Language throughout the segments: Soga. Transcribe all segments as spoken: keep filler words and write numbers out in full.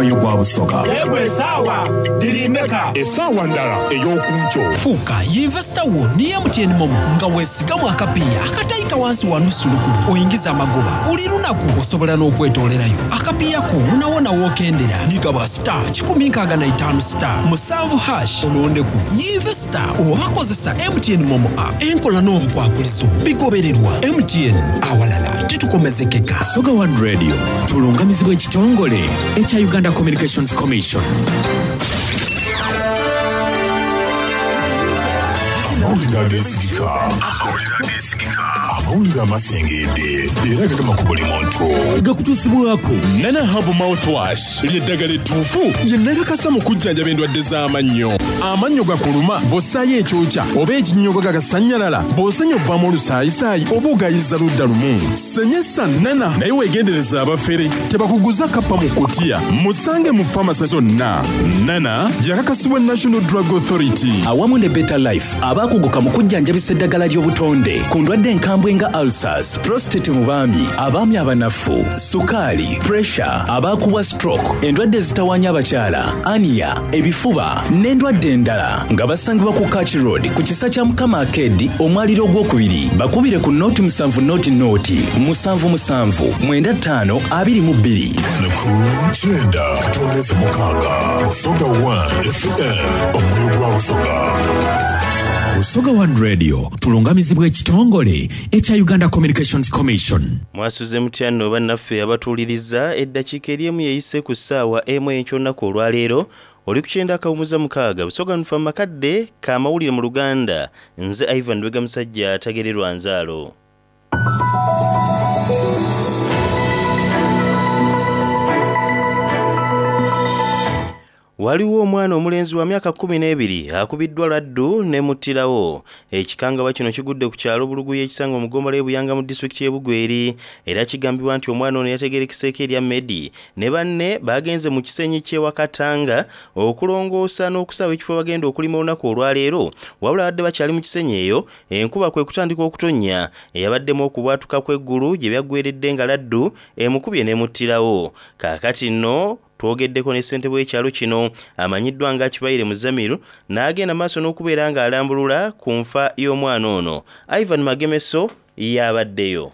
Omwoyo gwa Busoga. Yegwe esaawa dirimeka. Esaawa ndala ey'okunkyo. Fuuka yinvesita wo ni M T N MoMo nga weesigamu akapiiya akatayika wansi wa nusu lukumi oyingiza amagoba buli lunaku osobola n'okwetoolerayo akapiiya ko wonawona w'okendera nigaba star kikumi nkaaga na itaano star musanvu hash olondeku yinvesita oba kozesa M T N MoMo app enkola n'obukwakulizo bigobererwa M T N awalala titukomezekeka. Busoga One Radio tulungamizibwa ekitongole ekya Uganda Communications Commission. Amawulire ageesigika, amawulire amasengedde era gagema ku buli muntu. Gakutuusibwako Nana Herbal Mouthwash ly'eddagala ettuufu lye nakakasa mu kujjanjaba endwadde z'amannyo. Amannyo gakuluma bw'ossaayo ekyokya oba ekinnyogo gagasannyalala, bw'osenya ovaamu olusaayisaayi oba ogayiza ludda lumu. Senyesa Nana naye weegendereza abafere tebakuguza kappa mu kutiya. Musange mu famasi zonna. Nana yakakasibwa National Drug Authority awamu ne Better Life abaakuguka mu kujjanjabisa eddagala ly'obutonde ku ndwadde enkambwe nga ulcers, prostate mu baami, abaami abanafu, sukaali, pressure, abaakubwa stroke, endwadde ezitawaanya abakyala, ania, ebifuba n'endwadde endala nga basangibwa ku Kach Road ku kisa kya Mukama Arcade omwaliro ogwokubiri. Bakubire ku noti musanvu noti noti musanvu musanvu mwenda ttaano abiri mu bbiri. Ku kyenda katondeze mukaaga Busoga One F M omwoyo gwa Busoga. Busoga One Radio tulungamizibwa ekitongole ekya Uganda Communications Commission. Mwasuze mutya nno bannaffe abatuuliriza eddakiika eri emu yeyise ku ssaawa emu enkyo olwaleero oli ku kyenda akawumuza mukaaga Busoga nfa makadde k'amawulire mu Luganda. Nze Ivan Lwega musajja atagererwa nzaalo. Waliwo omwana omulenzi wa myaka kkumi n'ebiri akubiddwa laddu ne muttirawo. Ekikangabwa kino kigudde ku kyalo Buluguya ekisangibwa mu ggombolola y'e Buyanga mu disitulikiti y'e Bugweri era kigambibwa nti omwana ono yategeerekeseeko erya Medi ne banne bagenze mu kisenyi ky'e Wakatanga okulongoosa n'okusaawa ekifo bagenda okulima olunaku olwaleero. Wabula badde bakyali mu kisenyi eyo enkuba kwe kutandika okutonnya eyabaddemu okubwatuka kw'eggulu gye byaggweredde nga laddu emukubye n'emuttirawo. Kaakati nno twogeddeko ne ssentebe w'ekyalo kino amanyiddwa nga Kibaire Muzamiru n'agenda maaso n'okubeera ng'alambulula ku nfa y'omwana ono. Ivan Magemeso yabaddeyo.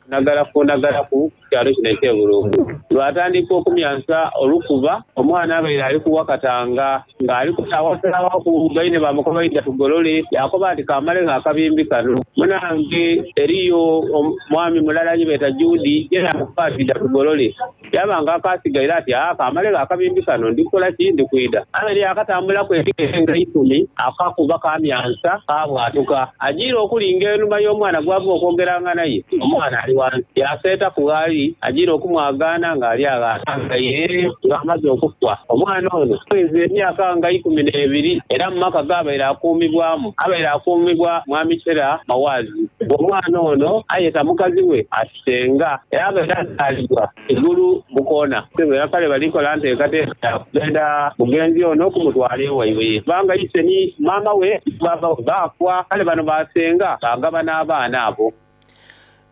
Nagalaku nagalaku kyalo kino eky'e Bulungu lwatandika okumyansa olukuba omwana abaire ali kuwakatanga ng'ali kusaawasalaawo ku gaine bamukoba idda tugolole yakoba nti kamale ng'akabimbi kano munange eriyo omwami mulala gye beeta Judy ye namukuba ati idda tugolole yaba nga akasigaire ati aa kamale ng'akabimbi kano ndikukola ki ndikwida abaire akatambulaku ebigere nga ikumi akakuba kamyansa kabwatuka agiire okulinga enuma y'omwana gwava okwogeranga naye omwana ali wansi yaseeta ku gaali agira okumwagaana ng'ali aganga ye ng'amaze okufa. Omwana ono aweza emyaka nga ikumi n'ebiri era mu maka g'abaire akuumibwamu abaire akuumibwa mwami Kyera Mawaazi. Omwana ono ayeta mukazi we atisenga era abaire azaalibwa Igulu Bukoona. Era kale balikola nteekateeka kugenda mugenzi ono okumutwala ewaibwe kubanga ise ni maama we baaba we baafa kale bano basenga bagaba n'abaana abo.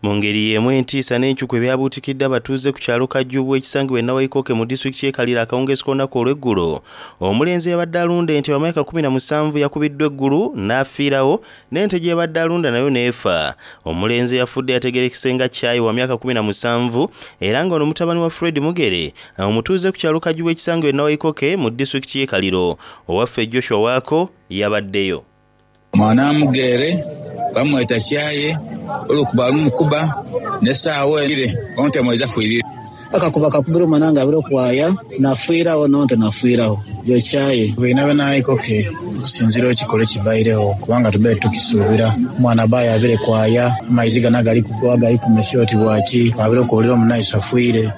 Mu ngeri y'emu entiisa n'enkyukwe ebyabuutikidde abatuuze ku kyalo Kajjubu ekisangibwa e Nawaikooke mu disitulikiti y'e Kaliro akawungeezi k'olunaku olw'eggulo. Omulenzi eyabadde alunda ente wa myaka kkumi na musanvu yakubiddwa eggulu n'afiirawo n'ente gye yabadde alunda nayo n'efa. Omulenzi eyafudde yategeerekese nga Kyayi wa myaka kkumi na musanvu era nga ono mutabani wa Fred Mugere omutuuze ku kyalo Kajjubu ekisangibwa e Nawaikooke mu disitulikiti y'e Kaliro. Owaffe Joshua Waako yabaddeyo. Mwana Mugere bamweta Kyaye olukuba lumukuba n'essaawa ere onte mweza fuirire akakuba kakubira omwana nga abire okwaya nafiirawo nonte nafiirawo yo Kyaye bwina benaikoke okusinziira ekikolo ekibairewo kubanga tubeere tukisuubira omwana abaye abire kwaya amaizi gana gali kugwa gali kumesya oti bwaki abire okuwulira omunaiso afiire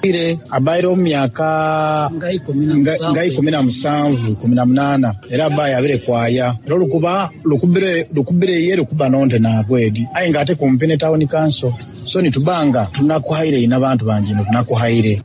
abaire omu myaka nga ikumi na musanvu ikumi na munaana era abaye abire kwaya era olukuba lukubire lukubire ye lukuba nonte nagwedi aye nga ate kumpi ne town council so nitubanga tunakuhaire ina abantu bangi tunakuhaire.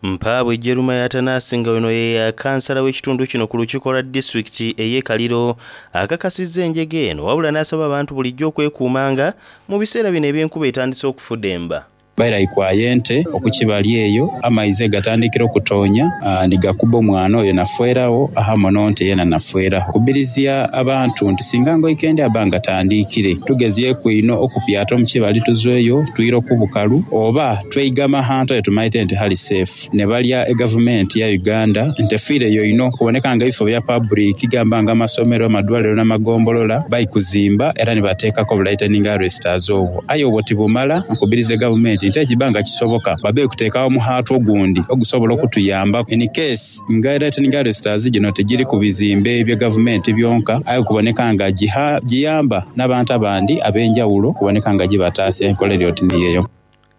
Mpaabwe Jeruma Atanasi nga ono ye kansala w'ekitundu kino ku lukiiko lwa disitulikiti ey'e Kaliro akakasizza enjega eno wabula n'asaba abantu bulijjo okwekuumanga mu biseera bino eby'enkuba etandise okufudemba. Baira ikwaya ente okukibali eyo amaizi gatandikire okutonya nigakuba omwana oyo nafwerawo ahamwe n'onte yena nafwerawo. Kubirizya abantu nti singa nga oikendi aba nga atandikire tugezyeku ino okupyata omukibali tuzweyo twire okubukalu oba tweigama ahantu awetumaite nti hali safe. Nebalya egavumenti ya Uganda nti efiireyo ino okuboneka nga ebifo bya public gamba nga amasomero, amadwaliro n'amagombolola baikuzimba era nibateekaku obu lightning arresters obwo aye obwo tibumala. Nkubiriza egavumenti nti ekiba nga kisoboka babe kuteekawo omuhaatu ogundi ogusobola okutuyamba in case nga lightning arresters gino tigiri ku bizimbe bya gavumenti byonka aye okuboneka nga giyamba n'abantu abandi ab'enjawulo okuboneka nga gibataasya enkola eri oti niyo eyo.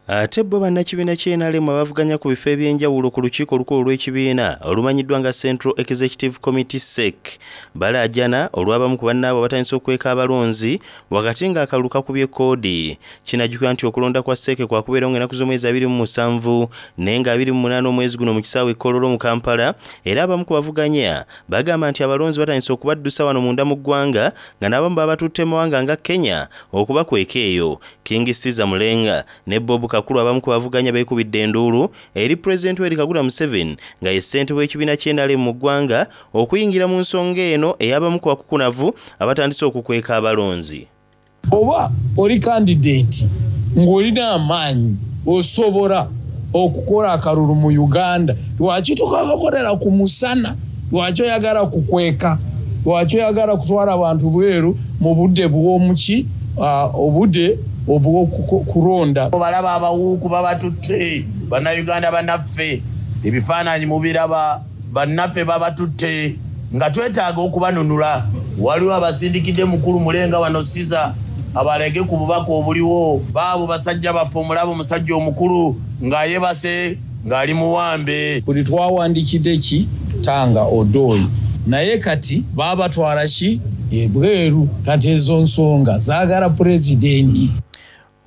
Ate bo bannakibiina ky'N R M abavuganya ku bifo eby'enjawulo ku lukiiko olukulu olw'ekibiina olumanyiddwa nga Central Executive Committee C E C balaajana olw'abamu ku bannaabwe abatandise okweka abalonzi wakati ng'akalulu kakubye koodi. Kinajjukira nti okulonda kwa C E C kwakubeerawo ng'ennaku z'omwezi abiri mu musanvu naye nga abiri mu munaana omwezi guno mu kisaawe e Kololo mu Kampala. Era abamu ku bavuganya bagamba nti abalonzi batandise okubaddusa wano munda mu ggwanga nga n'abamu babatutte mu mawanga nga Kenya okubakweka eyo. King Caesar Mulenga ne Bob Kakulu abamu ku bavuganya beekubidde enduulu eri Pulezidenti Yoweri Kaguta Museveni nga ye ssentebe w'ekibiina ky'N R M mu ggwanga okuyingira mu nsonga eno ey'abamu ku bakukunavu abatandise okukweka abalonzi. Oba oli candidate ng'olina amaanyi osobola okukola akalulu mu Uganda, lwaki tukakakolera ku musana? Lwaki oyagala kukweka? Lwaki oyagala kutwala abantu bweru mu budde bw'omuki, obudde obw'okulonda? Balaba abawuuku babatutte, Bannayuganda bannaffe, ebifaananyi mubiraba, bannaffe babatutte nga twetaaga okubanunula. Waliwo abasindikidde mukulu Mulenga wano Siza abalege ku bubaka obuliwo. Baabo basajja baffe, omulaba omusajja omukulu ng'ayebase ng'ali muwambe. Buli twawandikidde ki Tanga Odoi, naye kati babatwala ki ebweru. Kati ezo nsonga zaagala pulezidenti.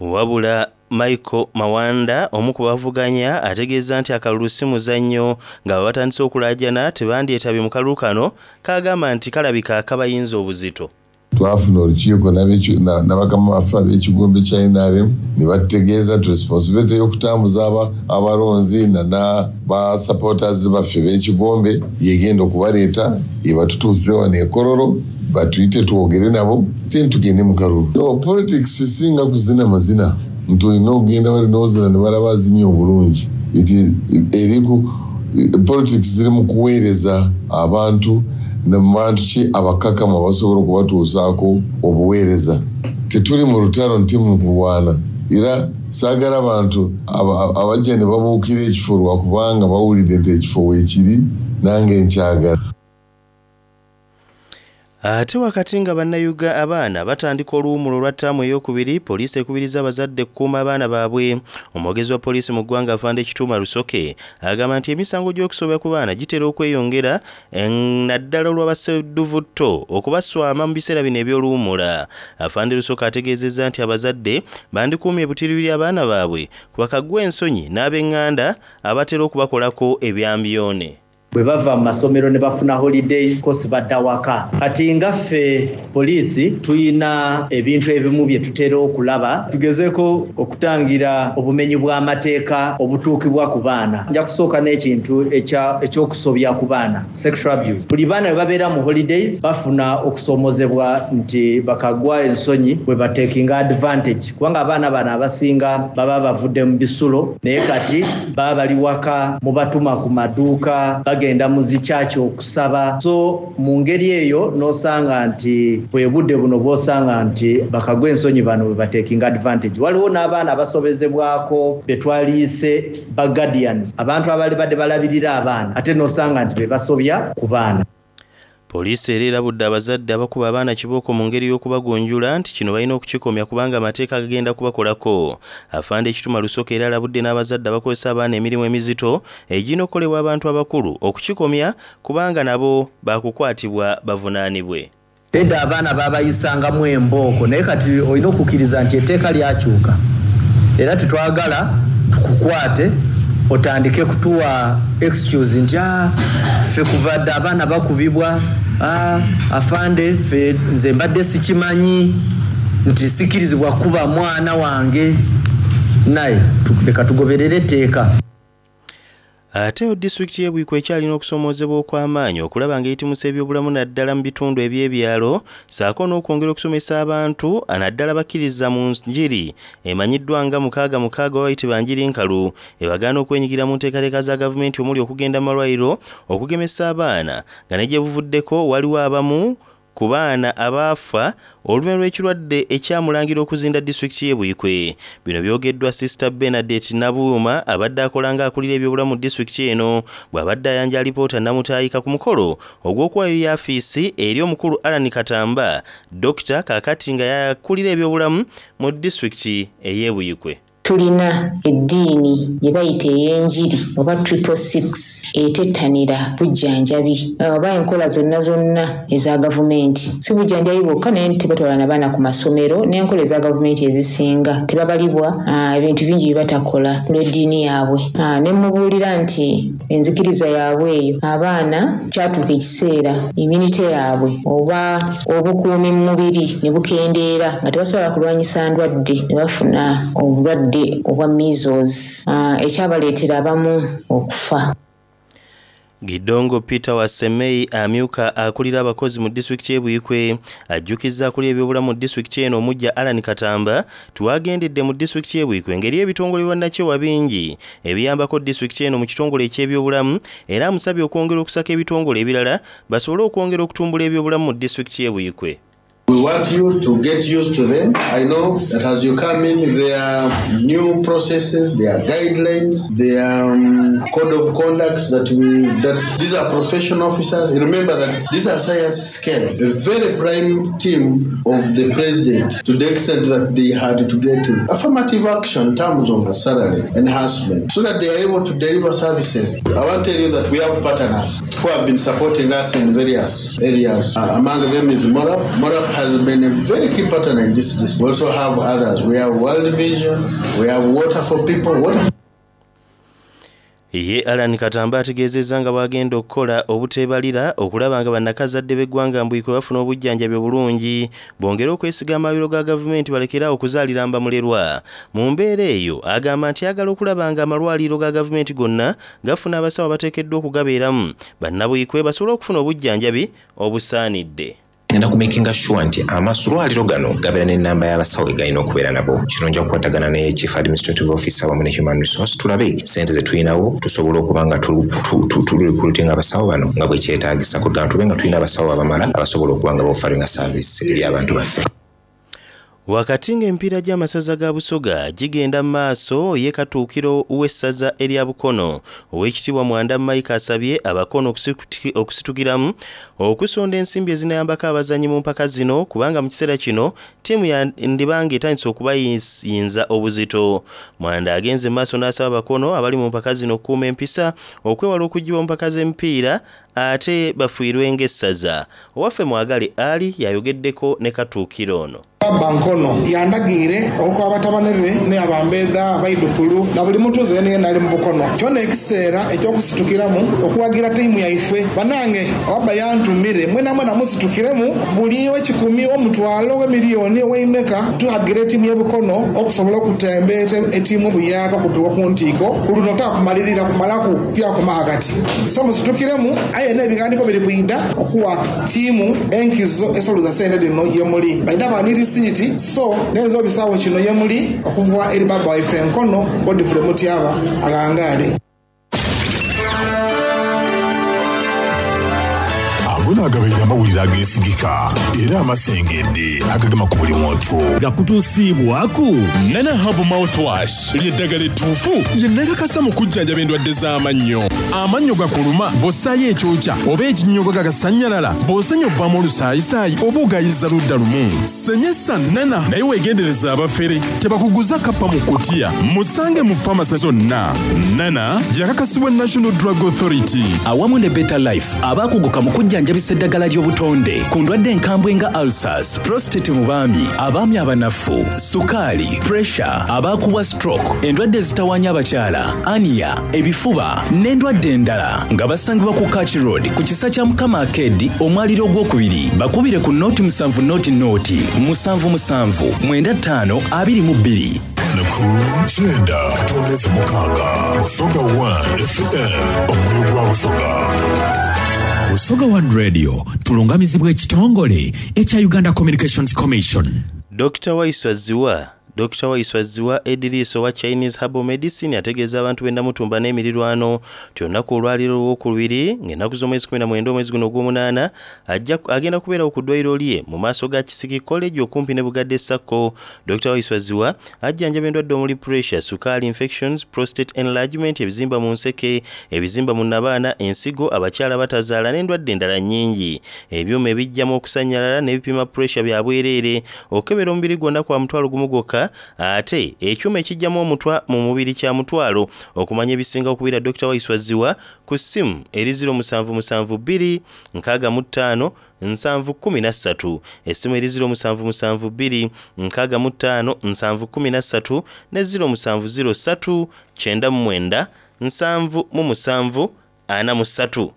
Wabula Michael Mawanda, omu ku bavuganya, ategeeza nti akalulu si muzannyo nga bwe batandise okulaajana tebandyetabye mu kalulu kano kagamba nti kalabika akabayinza obuzito. Twafuna olukiiko n'abakama baffe ab'ekigombe kya N R M ne batutegeeza nti responsibility y'okutambuza abalonzi nana ba supporters baffe b'ekigombe yegenda okubaleeta ebatutuuse wano ekololo batuyite twogere nabo te tugende mu kalulu. No, politics singa kuzina mazina nti olina okugenda bali nozina ne balaba azinye obulungi. Eriku politics ziri mu kuweereza abantu namubantu ki abakakamu abasobola okubatuusaako obuweereza. Tetuli mu lutalo nti mu kulwana, era saagala abantu abajja ne babuukira ekifo lwakubanga bawulidde nti ekifo weekiri nange nkyagala. Ate wakati nga bannayuga abaana batandika oluwumulo olwa ttaamu eyokubiri, poliisi ekubiriza abazadde okukuuma abaana baabwe. Omwogezi wa poliisi mu ggwanga Afande Kituuma Rusoke agamba nti emisango gy'okusobya ku baana gitera okweyongera, naddala olw'abasedduvutto okubaswama mu biseera bino eby'oluwummula. Afande Rusoke ategeezezza nti abazadde bandikuumye ebutiribiri abaana baabwe ku bakagwa ensonyi n'ab'eŋŋanda abatera okubakolako ebyambyone. Bwe bava mu masomero ne bafuna holidays kosi badda waka. Kati nga ffe poliisi tuyina ebintu ebimu bye tutera okulaba tugezeeko okutangira obumenyi bw'amateeka obutuukibwa ku baana. Nja kusooka n'ekintu ekyokusobya ku baana, sexual abuse. Buli baana bwe babeera mu holidays bafuna okusoomozebwa nti bakagwa ensonyi bwe batekinga advantage, kubanga abaana bano abasinga baba bavudde mu bisulo, naye kati baba bali waka, mubatuma ku maduuka, bagenda mu zikyaki okusaba. So mu ngeri eyo n'osanga nti bwe budde buno bw'osanga nti bakagwa ensonyi bano bwe batekinga advantage. Waliwo n'abaana abasobezebwako be twaliise ba guardians, abantu abali badde balabirira abaana, ate n'osanga nti be basobya ku baana. Poliisi era erabudde abazadde abakuba abaana kibooko mu ngeri y'okubagunjula nti kino balina okukikomya kubanga amateeka gagenda kubakolako. Afande Ekituma Lusoke era alabudde n'abazadde abakozesa abaana emirimu emizito egirina okukolebwa abantu abakulu okukikomya kubanga nabo bakukwatibwa bavunaanibwe. Edda abaana babayisangamu embooko, naye kati olina okukkiriza nti etteeka lyakyuka, era tetwagala tukukwate otandike kutuwa excuse nti ah, ffe kuva dda abaana bakubibwa, ah, afande ffe nze mbadde sikimanyi nti sikirizibwa kuba mwana wange. Naye leka tugoberere etteeka. Ate disitulikiti y'e Buikwe ekyalina okusoomoozebwa okw'amaanyi okulaba ng'eyitimusa ebyobulamu naddala mu bitundu eby'ebyalo, ssaako n'okwongera okusomesa abantu naddala bakkiriza mu njiri emanyiddwa nga mukaaga mukaaga oba bayitibwa njiri nkalu, ebagaana okwenyigira mu nteekateeka za gavumenti omuli okugenda mu malwaliro okugemesa abaana, nga ne gye buvuddeko waliwo abamu ku baana abaafa oluvannyuma lw'ekirwadde ekyamulangira okuzinda disitulikiti y'e Buikwe. Bino byogeddwa Sister Bernadette Nabuuma abadde akola ng'akulira ebyobulamu mu disitulikiti eno, bw'abadde ayanja alipoota Namutaayika ku mukolo ogw'okuwaayo yaafiisi eri omukulu Allan Katamba, Dokita kaakati nga yakulira ebyobulamu mu disitulikiti ey'e Buikwe. Tulina eddiini gye bayita ey'enjiri oba triple six etettanira bujjanjabi oba enkola zonna zonna eza gavumenti. Si bujjanjabi bwokka, naye tebatwala na baana ku masomero, n'enkola eza gavumenti ezisinga tebabalibwa, ebintu bingi bye batakola olw'eddiini yaabwe. Ne mmubuulira nti enzikiriza yaabwe eyo abaana kyatuuka ekiseera immunity yaabwe oba obukuumi mu mubiri ne bukendeera nga tebasobola kulwanyisa ndwadde, ne bafuna obulwadde obwa measles, ekyabaleetera abamu okufa. Gidongo Peter Wasemei amyuka akulira abakozi mu disitulikiti y'e Buikwe ajjukizza akulira ebyobulamu mu disitulikiti eno omuggya Allan Katamba tiwagendedde mu disitulikiti y'e Buikwe ngeri ebitongole bwannakyewa bingi ebiyambako disitulikiti eno mu kitongole eky'ebyobulamu, era amusabye okwongera okusaka ebitongole ebirala basobole okwongera okutumbula ebyobulamu mu disitulikiti y'e Buikwe. We want you to get used to them. I know that as you come in, there are new processes, there are guidelines, there are um, code of conduct that we, that these are professional officers. Remember that these are science scale, a very prime team of the president, to the extent that they had to get affirmative action in terms of salary enhancement so that they are able to deliver services. I want to tell you that we have partners who have been supporting us in various areas. Uh, among them is MORAP. MORAP has been a very key partner in this district. We also have others. We have World Vision, we have Water for People. Water for Ye Allan Katamba ategeezezza nga bw'agenda okukola obuteebalira okulaba nga bannakazadde b'eggwanga Mbuikwe bafuna obujjanjabi obulungi, bongere okwesiga amalwaliro ga gavumenti balekere awo okuzaalira mbamulerwa. Mu mbeera eyo agamba nti ayagala okulaba nga amalwaliro ga gavumenti gonna gafuna abasawo abateekeddwa okugabeeramu, bannabuikwe basobole okufuna obujjanjabi obusaanidde. Ngenda kumakinga sure nti amalwaliro gano gabeera n'ennamba y'abasawo egalina okubeera nabo. Kino nja kukwatagana ne Chief Administrative Officer wamu ne Human Resource, tulabe ssente ze tulinawo tusobole okuba nga turecruitinga abasawo bano nga bwe kyetaagisa, kugamba tube nga tulina abasawo abamala abasobola okuba nga baofferinga service eri abantu baffe. Wakati ng'emipiira gy'amasaza ga Busoga gigenda mu maaso, ye Katuukiro w'essaza erya Bukono Oweekitiibwa Mwanda Mike asabye Abakono okusitukiramu okusonda ensimbi ezinayambako abazannyi mu mpaka zino, kubanga mu kiseera kino ttiimu yandibanga etandise okubayinza obuzito. Mwanda agenze mu maaso n'asaba Abakono abali mu mpaka zino okukuuma empisa, okwewala okuggyibwa mu mpaka z'emipiira ate bafiirwe ng'essaza. Owaffe Mwagale Ali yayogeddeko ne Katuukiro ono. Baba Nkono yandagiire okukoba batabane be ne abambeeda abaidukulu na buli mutuuze yena yena ali mu Bukono kyona ekiseera ekyokusitukiramu okuwagira ttiimu yaife. Banange wabba yantumire mwena mwena musitukiremu buli w'ekikumi, omutwalo, w'emiliyoni, ow'eimeka, tuhagire ettiimu y'e Bukono okusobola okutembeeta ettiimu obuyaka okutuuka ku ntiiko ku luno takumalirira kumalaku pyakoma hagati. So musitukiremu, aye n'ebigandiiko biri kwida okuwa ttiimu enkizo esoluza sente dino yemuli baida banirisi risiiti, so nenza obisawo kino yemuli okuva eri baba waife Enkono Godfrey Mutyaba agangaale. Ago naagabaire amawulire ageesigika era amasengedde agagema ku buli muntu. Gakutuusiibwaku Nana Herbal Mouthwash ly'eddagala ettuufu lye nakakasa mu kujjanjaba endwadde z'amannyo. Amannyo gakuluma bw'ossaayo ekyokya oba ekinnyogo gagasannyalala, bw'osenya ovaamu olusaayisaayi oba ogayiza ludda lumu. Senyesa Nana, naye weegendereza abafere tebakuguza kappa mu kutiya. Musange mu famasi zonna. Nana yakakasibwa National Drug Authority awamu ne Better Life abakuguka mu kujjanjabisa eddagala ly'obutonde ku ndwadde enkambwe nga ulcers, prostate mu baami, abaami abanafu, sukaali, pressure, abaakubwa stroke, endwadde ezitawaanya abakyala, hernia, ebifuba n'endwadde endala, nga basangibwa ku Kach Road ku kisa kya Mukama Arcade, omwaliro ogwokubiri. Bakubire ku noti musanvu noti noti musanvu musanvu mwenda ttaano abiri mu bbiri. Munaana ku kyenda katondeze mukaaga Busoga one F M, omwoyo gwa Busoga. Busoga One Radio tulungamizibwa ekitongole ekya Uganda Communications Commission. Dokita Waiswa Ziwa, Dokita Waiswa Ziwa Ediriisa owa Chinese Herbal Medicine ategeeza abantu b'e Namutumba n'emirirwano ti olunaku olwaleero olwokubiri ng'ennaku z'omwezi kumi na mwenda omwezi guno ogw'omunaana ajja agenda kubeerawo ku ddwaliro lye mu maaso ga Kisiki College okumpi ne Bugadde Sacco. Dokita Waiswa Ziwa ajjanjaba endwadde omuli pressure, sukaali, infections, prostate enlargement, ebizimba mu nseke, ebizimba mu nabaana, ensigo, abakyala batazaala n'endwadde endala nnyingi. Ebyuma ebijjamu okusannyalala n'ebipima pressure bya bwereere. Okukebera omubiri gwonna kwa mutwalo gumu gwokka, ate ekyuma ekijjamu omutwa mu mubiri kya mutwalo. Okumanya ebisinga, okubira Dokita Waiswa Ziwa ku ssimu eri zero musanvu musanvu bbiri nkaaga mu ttaano nsanvu kkumi na ssatu. Essimu eri zero musanvu musanvu bbiri nkaaga mu ttaano nsanvu kkumi na ssatu ne zero musanvu zero ssatu kyenda mu mwenda nsanvu mu musanvu ana mu ssatu.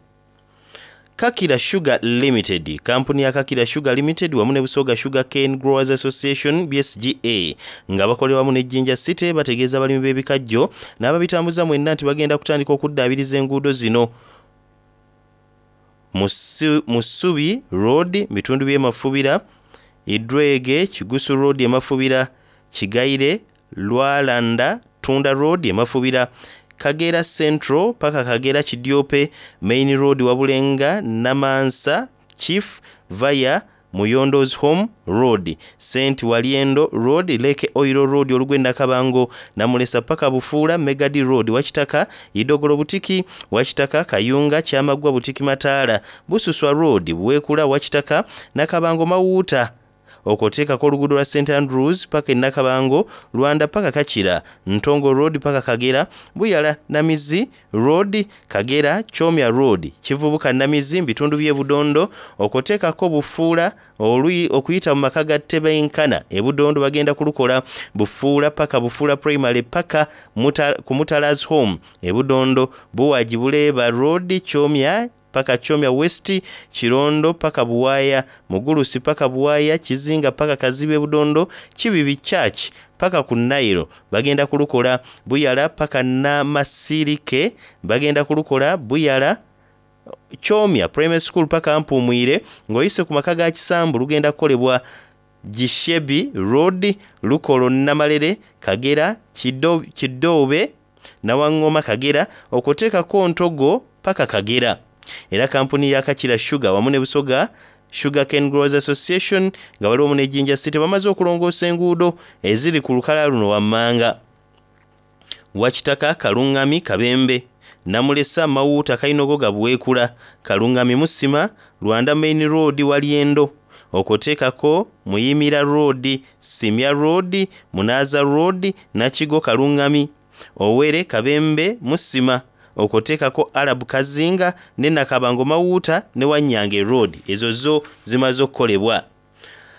Kakira Sugar Limited, kampuni ya Kakira Sugar Limited wamu ne Busoga Sugar Cane Growers Association B S G A nga bakolera wamu ne Jinja City bategeeza abalimi b'ebikajjo n'ababitambuza mwenna nti bagenda kutandika okuddaabiriza enguudo zino: Musubi Road, bitundu by'e Mafubira, Idwege Kigusu Road e Mafubira, Kigaire Lwalanda Tunda Road e Mafubira, Kagera Central paka Kagera Kidyope Main Road, Wabulenga Namansa Chief via Muyondos Home Road, St Waliendo Road, Lake Oil Road, olugwe Nakabango Namulesa paka Bufuula, Megadi Road, Wakitaka Idogolo Butiki, Wakitaka Kayunga Kyamagwa Butiki Mataala, Bususwa Road, Bwekula Wakitaka Nakabango Mawuuta, okwoteekako oluguudo lwa Saint Andrews paka e Nakabango, Lwanda paka Kakira, Ntongo Road paka Kagera, Buyala Namizi Road, Kagera Kyomya Road, Kivubuka Namizi mu bitundu by'e Budondo, okwoteekako Bufuula okuyita mu maka ga Tebenkana e Budondo bagenda kulukola Bufuula paka Bufuula Primary paka muta, ku Mutalas Home e Budondo, Buwagi Buleeba Road, Kyomya paka Kyomya West, Kirondo paka Buwaya, Mugulusi paka Buwaya, Kizinga paka Kazibe Budondo, Kibibi Church paka ku Nairo bagenda kulukola Buyala paka Namasirike bagenda kulukola Buyala Kyomya Primary School paka Mpumwire ng'oyise ku maka ga Kisambu lugenda kukolebwa Gishebi Road, Lukolo Namalere, Kagera Kidoobe Nawaŋŋoma Kagera, okwoteekako Ntogo paka Kagera. Era kampuni ya Kakira Sugar wamu ne Busoga Sugar Cane Growers Association nga bali wamu ne Jinja City bamaze okulongoosa enguudo eziri ku lukalala luno wammanga: Wakitaka Kaluŋŋami Kabembe, Namulesa Mawuuta Kainogoga Buweekula, Kaluŋŋami Musima, Lwanda Main Road Walyendo, okwoteekako Muyimira Road, Simya Road, Munaaza Road, Nakigo Kaluŋŋami, Owere Kabembe Musima, okwoteekako Arab Kazinga ne Nakabango Mawuuta ne Wanyange Road. Ezo zo zimaze okukolebwa.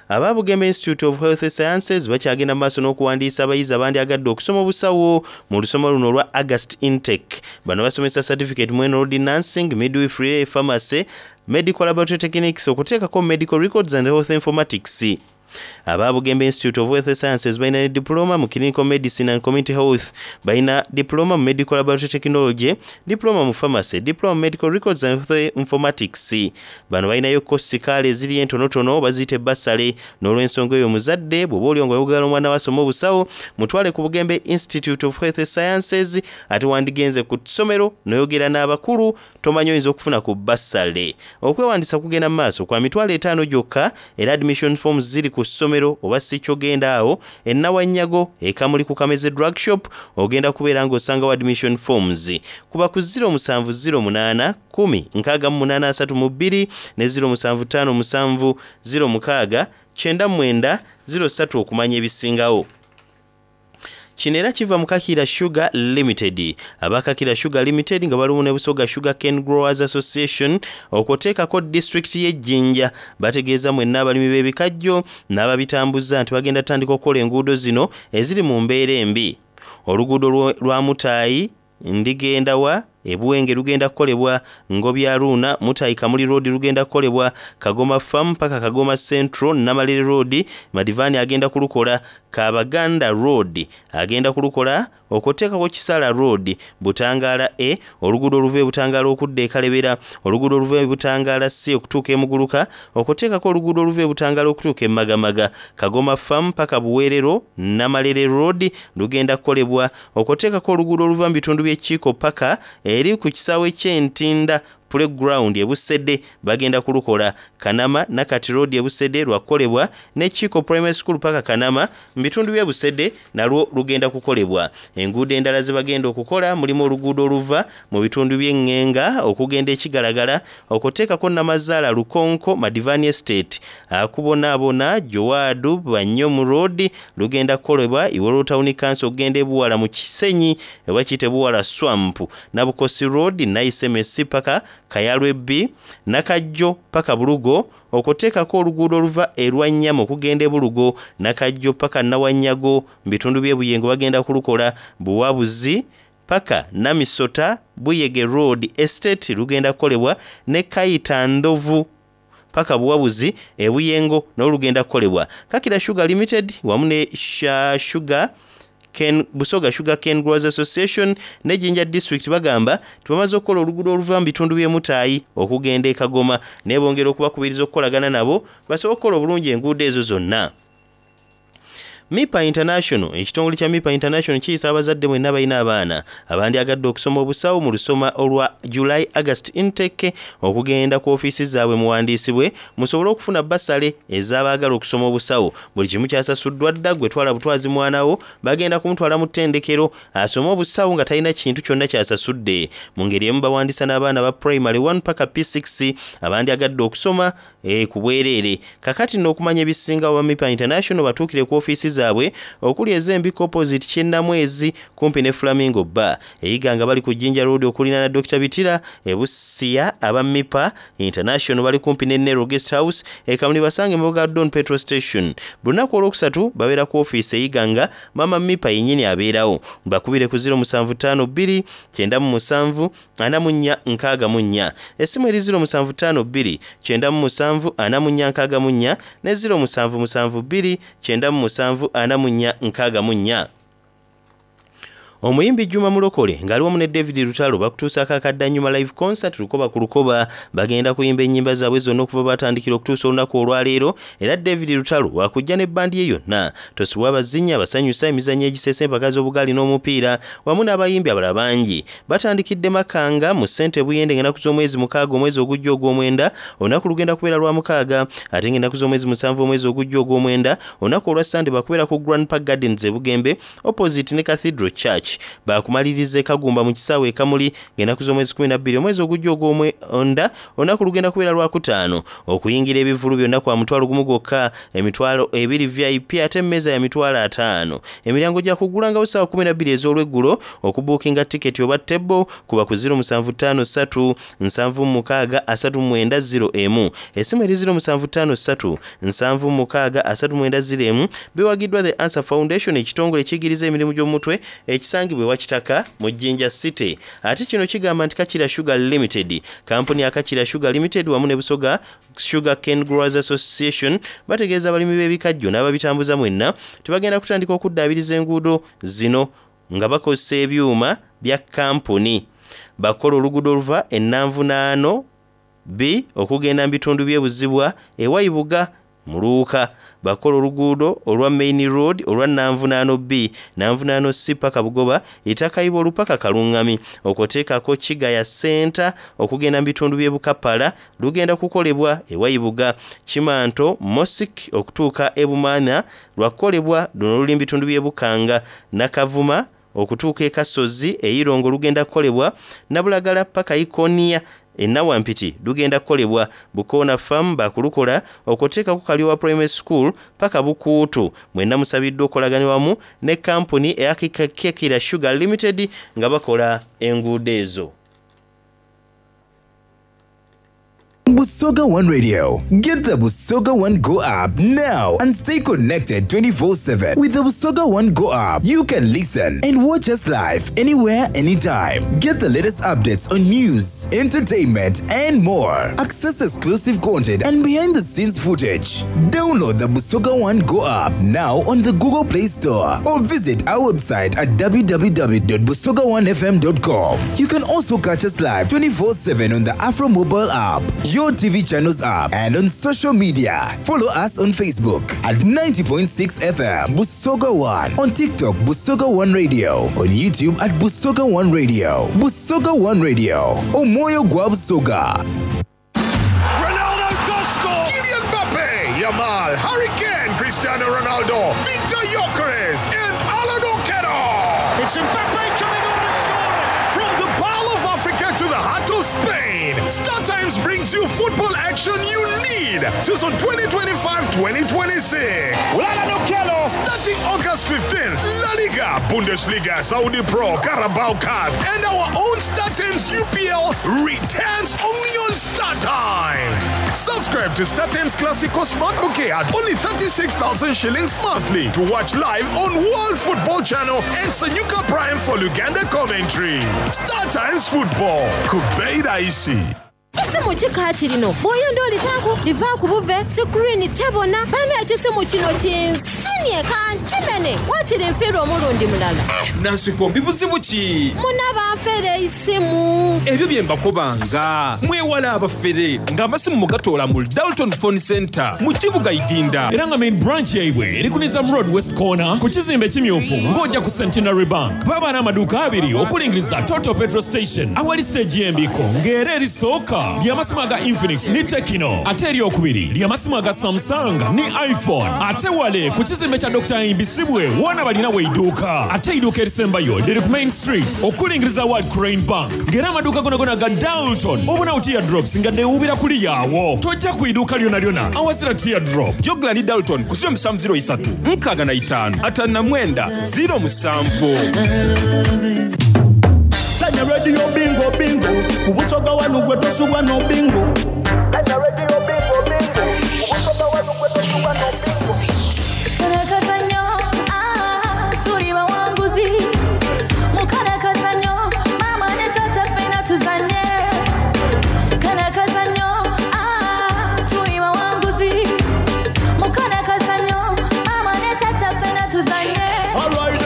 Aba Bugembe Institute of Health Sciences bakyagenda mu maaso n'okuwandiisa abayizi abandyagadde okusoma obusawo mu lusoma luno olwa August intake. Bano basomesa certificate mu enrolled nursing, midwifery, pharmacy, medical laboratory techniques, okuteekako medical records and health informatics. Aba Bugembe Institute of Health Sciences balina ne diploma mu clinical medicine and community health, balina diploma mu medical laboratory technology, diploma mu pharmacy, diploma mu medical records and health informatics. Bano balinayo kosi kaale eziri entonotono baziyita ebbasale. N'olw'ensonga eyo, omuzadde bw'oba oli nga oyagala omwana we asome obusawo, mutwale ku Bugembe Institute of Health Sciences. Ate wandigenze ku ssomero n'oyogera n'abakulu, tomanyi oyinza okufuna ku bbasale. Okwewandisa kugenda mu maaso kwa mitwalo etaano gyokka, era admission forms ziri ku ssomero, oba si kyogenda awo ennawanyago ekamuli ku Kameze Drug Shop, ogenda kubeera ng'osangawo admission forms. Kuba ku zero musanvu zero munaana kkumi nkaaga mu munaana asatu mu bbiri ne zero musanvu ttaano musanvu zero mukaaga kyenda mu mwenda zero ssatu okumanya ebisingawo. Kino era kiva mu Kakira Sugar Limited. Aba Kakira Sugar Limited nga balimu ne Busoga Sugar Cane Growers Association, okwoteekako disitulikiti y'Ejjinja, bategeeza mwenna abalimi b'ebikajjo n'ababitambuza nti bagenda tandika okukola enguudo zino eziri mu mbeera embi: oluguudo lwa Mutaayi Ndigendawa. e Buwenge lugenda kukolebwa, Ngobya Ruuna Mutayi Kamuli Road lugenda kukolebwa, Kagoma Farm paka Kagoma Central Namalere Road Madivani agenda kulukola, Kabaganda Road agenda kulukola, okuteekako Kisala Road, Butangaala A oluguudo oluva e Butangaala okudda e Kalebera, oluguudo oluva e Butangaala C okutuuka e Muguluka, okuteekako oluguudo oluva e Butangaala okutuuka e Magamaga, Kagoma Farm paka Buweerero Namalere Road lugenda kukolebwa, okuteekako oluguudo oluva mu bitundu by'e Kiiko paka eri ku kisaawe ky'Entinda Playground e Busede bagenda kulukola, Kanama Nakati Road e Busede lwakukolebwa, ne Kiiko Primary School paka Kanama mu bitundu by'e Busede nalwo lugenda kukolebwa. Enguudo endala ze bagenda okukola mulimu oluguudo oluva mu bitundu by'e Ngenga okugenda e Kigalagala, okuteekako Namazaala Lukonko Madivani Estate, Akubonaabona Jowaadu Banyomu Road lugenda kukolebwa, Iwolo Town Council okugenda e Buwala mu Kisenyi oba kiyite Buwala Swamp, Nabukosi Road Naisemesi paka Kayalwe B, Nakajjo paka Bulugo, okuteekako oluguudo oluva e Lwannyama okugenda e Bulugo, Nakajjo paka Nawannyago mu bitundu by'e Buyengo bagenda kulukola, Buwabuzi paka Namisota Buyege Road Estate lugenda kukolebwa, ne Kayita Ndovu paka Buwabuzi e Buyengo nalwo lugenda kukolebwa. Kakira Sugar Limited wamu ne Sugar Ken, Busoga Sugar Cane Growers Association ne Jinja District bagamba tibamaze okukola oluguudo oluva mu bitundu by'e Mutaayi okugenda e Kagoma, naye bongera okubakubiriza okukolagana nabo basobole okukola obulungi enguudo ezo zonna. Mipa International, ekitongole kya Mipa International kiyisa abazadde mwenna balina abaana abandyagadde okusoma obusawo mu lusoma olwa July August intake okugenda ku ofiisi zaabwe muwandiisibwe musobole okufuna basale ez'abaagala okusoma obusawo. Buli kimu kyasasuddwa dda, gwe twala butwazi mwana wo, bagenda kumutwala mu ttendekero asome obusawo nga talina kintu kyonna kyasasudde. Mu ngeri emu bawandiisa n'abaana ba primary one paka P six abandyagadde okusoma e, ku bwereere. Kakati nno okumanya ebisinga oba Mipa International batuukire ku ofiisi zaabwe okuli ez'Embiko opposite Kyennamwezi kumpi ne Flamingo Bar, eyiga nga bali ku Jinja Road okuliraana Dokita Bitira e Busia. Aba Mipa International bali kumpi ne Nero Guest House e Kamuli, basange emabega Don Petrol Station. Buli lunaku olwokusatu babeera ku ofiisi eyiga nga Mama Mipa yennyini abeerawo. Bakubire ku ziro musanvu ttaano bbiri kyenda mu musanvu ana mu nnya nkaaga mu nnya. Essimu eri ziro musanvu ttaano bbiri kyenda mu musanvu ana mu nnya nkaaga mu nnya ne ziro musanvu musanvu bbiri kyenda mu musanvu ana mu nnya nkaaga mu nnya. Omuyimbi Juma Mulokole ng'ali wamu ne David Lutalo bakutuusaako akaddannyuma live concert Lukoba ku Lukoba. Bagenda kuyimba ennyimba zaabwe zonna okuva batandikira okutuusa olunaku olwaleero, era David Lutalo wakujja n'ebbandi ye yonna. Tosubwa abazinyi abasanyusa, emizannyo egiseesa, empaka z'obugaali n'omupiira wamu n'abayimbi abalala bangi. Batandikidde Makanga mu ssente Buyende ng'ennaku z'omwezi mukaaga omwezi ogujja ogw'omwenda, olunaku lugenda kubeera lwa mukaaga, ate ng'ennaku z'omwezi musanvu omwezi ogujja ogw'omwenda, olunaku olwa Sande bakubeera ku Grand Park Gardens e Bugembe opposite ne Cathedral Church. Bakumaliriza e Kagumba mu kisaawe e Kamuli ng'ennaku z'omwezi kumi na bbiri omwezi ogujja ogw'omwenda, olunaku lugenda kubeera lwakutaano. Okuyingira ebivvulu byonna kwa mutwalo gumu gwokka, emitwalo ebiri V I P ate emmeeza ya mitwalo ataano. Emiryango gya kuggulangawo ssaawa kumi na bbiri ez'olweggulo. Okubuukinga tiketi oba tebo kuba ku ziro musanvu ttaano ssatu nsanvu mukaaga asatu mwenda ziro emu. Essimu eri ziro musanvu ttaano ssatu nsanvu mukaaga asatu mwenda ziro emu. Biwagiddwa The Answer Foundation, ekitongole ekiyigiriza emirimu gy'omutwe ekisangibwa ewa Kitaka mu Jinja City. Ate kino kigamba nti Kakira Sugar Limited, kampuni ya Kakira Sugar Limited wamu ne Busoga Sugar Cane Growers Association bategeeza abalimi b'ebikajjo n'ababitambuza mwenna tebagenda kutandika okuddaabiriza enguudo zino nga bakozesa ebyuma bya kampuni. Bakola oluguudo oluva e Nanvunaano B okugenda mu bitundu by'e Buzibwa ewa Ibuga Muluuka. Bakola oluguudo olwa Main Road olwa Nanvunaano B, Nanvunaano C paka Bugoba, Itakayiba olupaka Kalungami, okuteekako Kigaya Center okugenda mu bitundu by'e Bukapala lugenda kukolebwa ewa Ibuga. Kimanto Mosque okutuuka e Bumaana lwakukolebwa, luno luli mu bitundu by'e Bukanga. Nakavuma okutuuka e Kasozi e Irongo lugenda kukolebwa, Nabulagala paka Ikonia e Nawampiti lugenda kukolebwa, Bukoona Farm bakulukola okuteekako Kalyowa Primary School paka Bukuutu. Mwenna musabiddwa okukolagana wamu ne kampuni eya Kakira Sugar Limited nga bakola enguudo ezo. on Busoga One Radio. Get the Busoga One Go app now and stay connected twenty-four seven. With the Busoga One Go app, you can listen and watch us live anywhere, anytime. Get the latest updates on news, entertainment, and more. Access exclusive content and behind the scenes footage. Download the Busoga One Go app now on the Google Play Store or visit our website at w w w dot busoga one f m dot com. You can also catch us live twenty-four seven on the Afro mobile app, your T V channels app, and on social media. Follow us on Facebook at ninety point six F M Busoga One, on TikTok Busoga One Radio, on YouTube at Busoga One Radio. Busoga One Radio, Omoyo gwa Busoga. Ronaldo does score! Kylian Mbappe, Yamal, Harry Kane, Cristiano Ronaldo, Victor Gyökeres, and Alan Okello. It's Mbappe coming on and scoring! From the Pearl of Africa to the heart of Spain, StarTimes brings you football action you need. Season twenty twenty-five twenty twenty-six. Alan Okello! Starting August fifteenth, La Liga, Bundesliga, Saudi Pro, Carabao Cup, and our own StarTimes U P L returns only on StarTimes. Subscribe to StarTimes Classico Smart Bouquet at only thirty-six thousand shillings monthly to watch live on World Football Channel and Sanyuka Prime for Uganda commentary. StarTimes Football. Kubeida isi. Ekisimu kikaaki lino bw'oyonda olitaku liva ku buve sikuriini tebona bana ekisimu kino kinsinye kankimene waakiri nfiirwa omulundi mulala. Eh, Nansikombi buzibu ki? Muna banfere isimu. Ebyo bye mbakobanga mwewala abafere ng'amasimu mugatoola mu Dalton Phone Center mu kibuga Idinda. Era nga main branch yaibwe eri ku Nizam Road West Corner ku kizimbe ekimyufu ng'ojja ku Centenary Bank. Baba n'amaduuka abiri okulingiriza Total Petrol Station awali stage y'embiko ng'era erisooka ly'amasimu aga Infinix ni Tecno, ate eryokubiri ly'amasimu aga Samsung ni iPhone, ate wale ku kizimbe kya Doctor Imbisibwe wona balina weidduuka, ate eidduuka erisembayo liri ku Main Street okulingiriza World Crane Bank ng'era amaduuka gona gona ga Dalton obunawo teardrops nga deewuubira kuli yaawo. Tojja ku idduuka lyonna lyonna awazira teardrop. Jogla ni Dalton ku ziro musanvu ziro isatu nkaaga na itaano ataano na mwenda ziro musanvu. Sanya radio bingo bingo kubusoga wanu gwe tosubwa no bingo. Sanya radio bingo bingo kubusoga wanu gwe tosubwa no bingo. Karakazanyo, ah, tuli bawanguzi. Mukarakazanyo, mama ne tata ffena tuzanye. Karakazanyo, ah, tuli bawanguzi. Mukarakazanyo, mama ne tata ffena tuzanye. All right,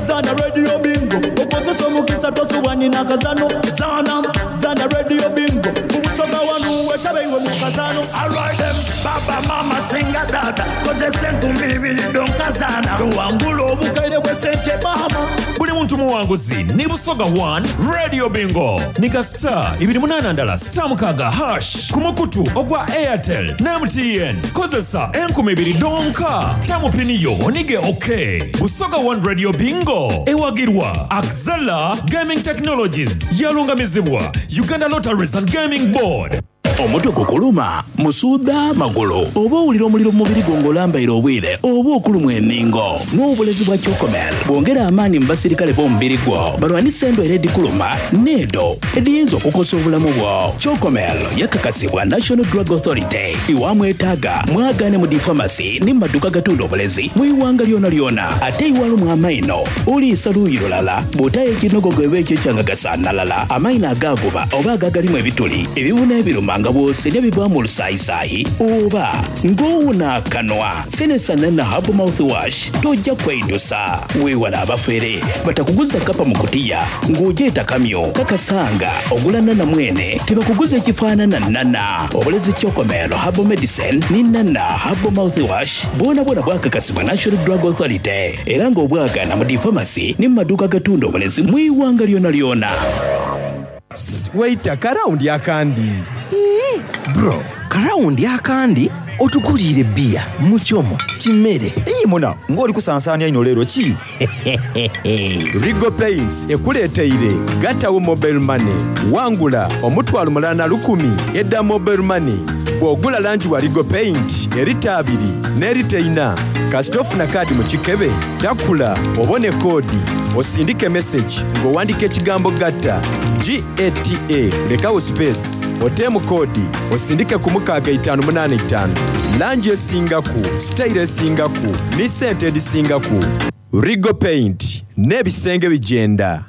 Zana radio bingo okozesa omukisa tosubwa nina kazano. Zana, Zana radio bingo kubusoga wanu wetabe iwe mu kazano. All right, them, baba mama singa data kozesa enkumbi ibiri donkazana tuwangula obukaire bwe sente mama. Buli muntu muwanguzi ni Busoga One Radio Bingo nika star ibiri munana ndala star mukaga hash ku mukutu ogwa Airtel ne M T N kozesa enkumi ibiri donka tamupiniyo onige okay. Busoga One Radio Bingo ewagirwa Axela Gaming Technologies yalungamizibwa Uganda Lotteries and Gaming Board. Omutwe gukuluma, musuuda magulu, oba owulira omuliro mu mubiri gwo ng'olambaire obwire, oba okulumwa enningo. N'obulezi bwa Chocomel bwongera amaanyi mu basirikale b'omubiri gwo balwanise endwaire edikuluma n'edo ediyinza okukosa obulamu bwo. Chocomel yakakasibwa National Drug Authority. Iwamwetaaga mwagaane mu difamasi ne mu maduuka agatunda obulezi mu iwanga lyona lyona. Ate iwalumwa amaino oliisa luuyi lulala bw'otayo ekinogogo eba ekyo ekyangagasaanalala amaino agaaguba oba agagalimu ebituli ebibuna ebiruma nga bw'osenya bivaamu olusaayisaayi oba ng'owona akanwa. Senesa na Herbal mouthwash tojja kweidusa. Weewala abafere batakuguza kapa mu kutiya ng'ogyeta kamyo kakasanga ogula nana mwene tebakuguza ekifaanana nana. Obulezi Chocomel Herbal Medicine ni nana Herbal mouthwash bwona bwona bwakakasibwa National Drug Authority era ng'obwagaana mu difamasi ne mu maduuka agatunda obulezi mu iwanga lyona lyona. Waita karawundi akandi. Bro, karawundi akandi otuguliire bbiya mukyomo kimere. Iyi muna ng'oli kusansaanya ino leero ki? Rigo Paints ekuleeteire gatawo mobile money wangula omutwalo mulala na lukumi edda mobile money. Bw'ogula langi wa Rigo Paint erita abiri n'erita ina Kasita ofuna kaadi mu kikebe, takula obone koodi, osindike message ng'owandika ekigambo gatta G A T A lekawo space oteemu koodi osindike ku mukaaga itaanu munaana itaanu. Langi esingaku, sitayiro esingaku ni sente edisingaku. Rigo Paint n'ebisenge bijenda.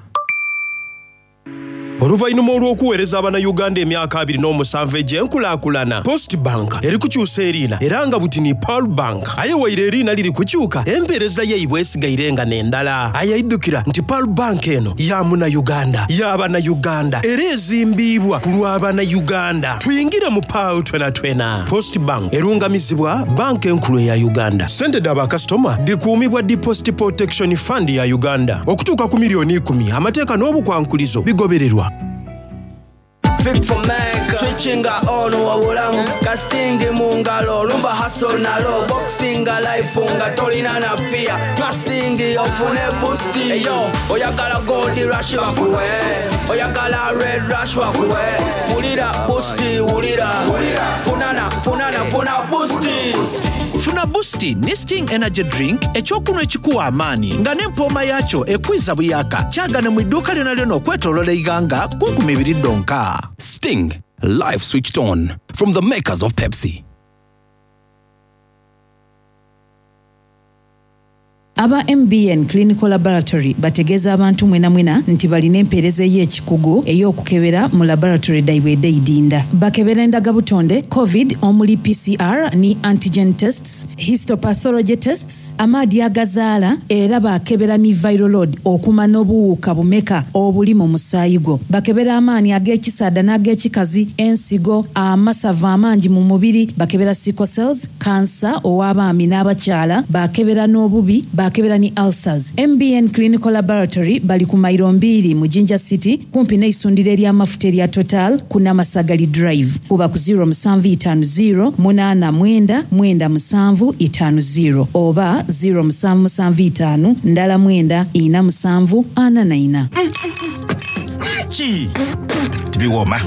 Oluvannyuma olw'okuweereza Abannayuganda emyaka abiri n'omusanvu egy'enkulaakulana, Post Bank eri kukyusa eriina era nga buti ni Pearl Bank. Aye waire eriina liri kukyuka, empeereza yaibwe esigaire nga n'endala. Aye aidukira nti Pearl Bank eno ya Munnayuganda, y'Abannayuganda, era ezimbiibwa ku lw'Abannayuganda. Tuyingire mu Pearl twena twena. Post Bank erungamizibwa Banka Enkulu eya Uganda. Sente dha bakasitoma dhikuumibwa Deposit Protection Fund ya Uganda okutuuka ku miliyoni ikumi. Amateeka n'obukwankulizo bigobererwa. Fik for Mecca. Switchinga on wabulamu casting mu ngalo lumba hustle nalo boxinga life nga tolina na fear trusting ofune boost. Eyo oyagala gold rush bakuwe, oyagala red rush bakuwe, wulira boost, wulira funana funana funa boost. Funa Boost ne Sting Energy Drink, ekyokunywa ekikuwa amaanyi nga n'empooma yakyo ekwiza buyaka. Kyagane mu idduuka lyona lyona okwetooloola eighanga ku nkumi ibiri ddonka. Sting, life switched on from the makers of Pepsi. Aba M B N Clinical Laboratory bategeeza abantu mwena mwena nti balina empeereza ey'ekikugu ey'okukebera mu laboratory daibwe edeidinda. Bakebera endagabutonde COVID omuli P C R ni antigen tests, histopathology tests, amaadi agazaala, era bakebera ni viral load okumanya obuwuka bumeka obuli mu musaayi gwo. Bakebera amaanyi ag'ekisaada n'ag'ekikazi, ensigo, amasavu amangi mu mubiri, bakebera sickle cells, kansa ow'abaami n'abakyala, bakebera n'obubi, bakebera ni ulcers. M B N Clinical Laboratory bali ku mairo mbiri mu Jinja City, kumpi n'eisundiro ery'amafuta erya Total ku Namasagali Drive. Kuba ku zero seven five zero eight nine nine seven five zero oba zero seven seven five ndala mwenda ina musanvu ana na ina. Ki tibiwooma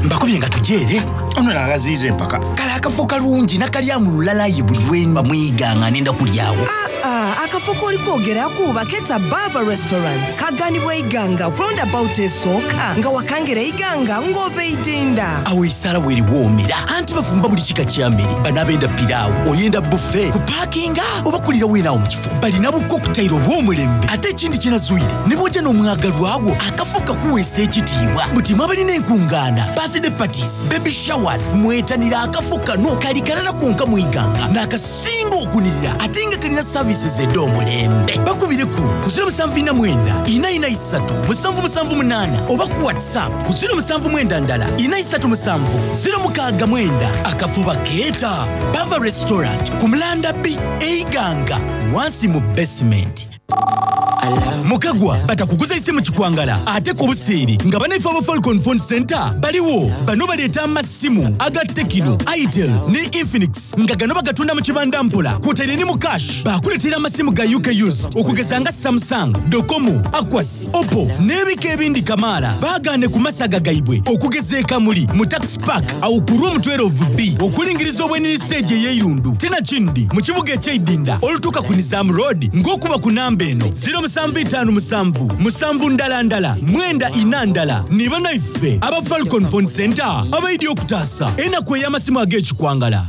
mbakubye nga tujeere ono nagaziiza empaka. Kale akafo kalungi nakalyamu lulalayi buli lwemba mwiganga nenda kulyawo. Ah, akafo k'oli kwogeraku baketa Bava Restaurant, kaganibwa Iganga roundabout esooka nga wakangira Iganga ng'ova Eidinda. Awo esaala weeriwoomera anti bafumba buli kika kya mmere. Banaabenda piraawo, oyenda buffet kupaakinga oba kulira weenaawo mu kifo. Balina bukokutayiro obw'omulembe, ate ekindi kyenazuire ne bw'ojja n'omwagalwawo akafo kakuweesa ekitiibwa. Buti mwabalina enkungaana, birthday parties, baby showers, mwetanira akafo kano. Kali kalala konka mwiganga n'akasinga okunirira ate nga kalina services ed'omulembe. Bakubireku ku zero seven nine four nine three seven seven seven eight oba ku WhatsApp ku zero seven nine ndala four three seven zero six nine. Akafo bakeeta Bava Restaurant ku Mulanda B Eiganga wansi mu basement. Mukagwa batakuguza isimu kikwangala ate ku buseeri nga banaife aba Falcon Phone Center baliwo. Bano baleeta amasimu aga Tecno, Itel ne Infinix nga gano bagatunda mu kibanda mpola kwotaire ne mu cash. Bakuleetera amasimu ga U K used okugeza nga Samsung, Docomo, Aquas, Oppo n'ebika ebindi kamaala. Baagaane ku masaga gaibwe okugeza ekamuli mu Tax Park awo ku room twelve B okulingiriza obwenini stage ey'eirundu tena kindi mu kibuga ekyeidinda olutuuka ku Nizam Road ng'okuba ku namba eno zero seven five seven musanvu ndala ndala mwenda ina ndala. Ni banaife aba Falcon Phone Center abaidi okutaasa enaku ey'amasimu ag'ekikwangala.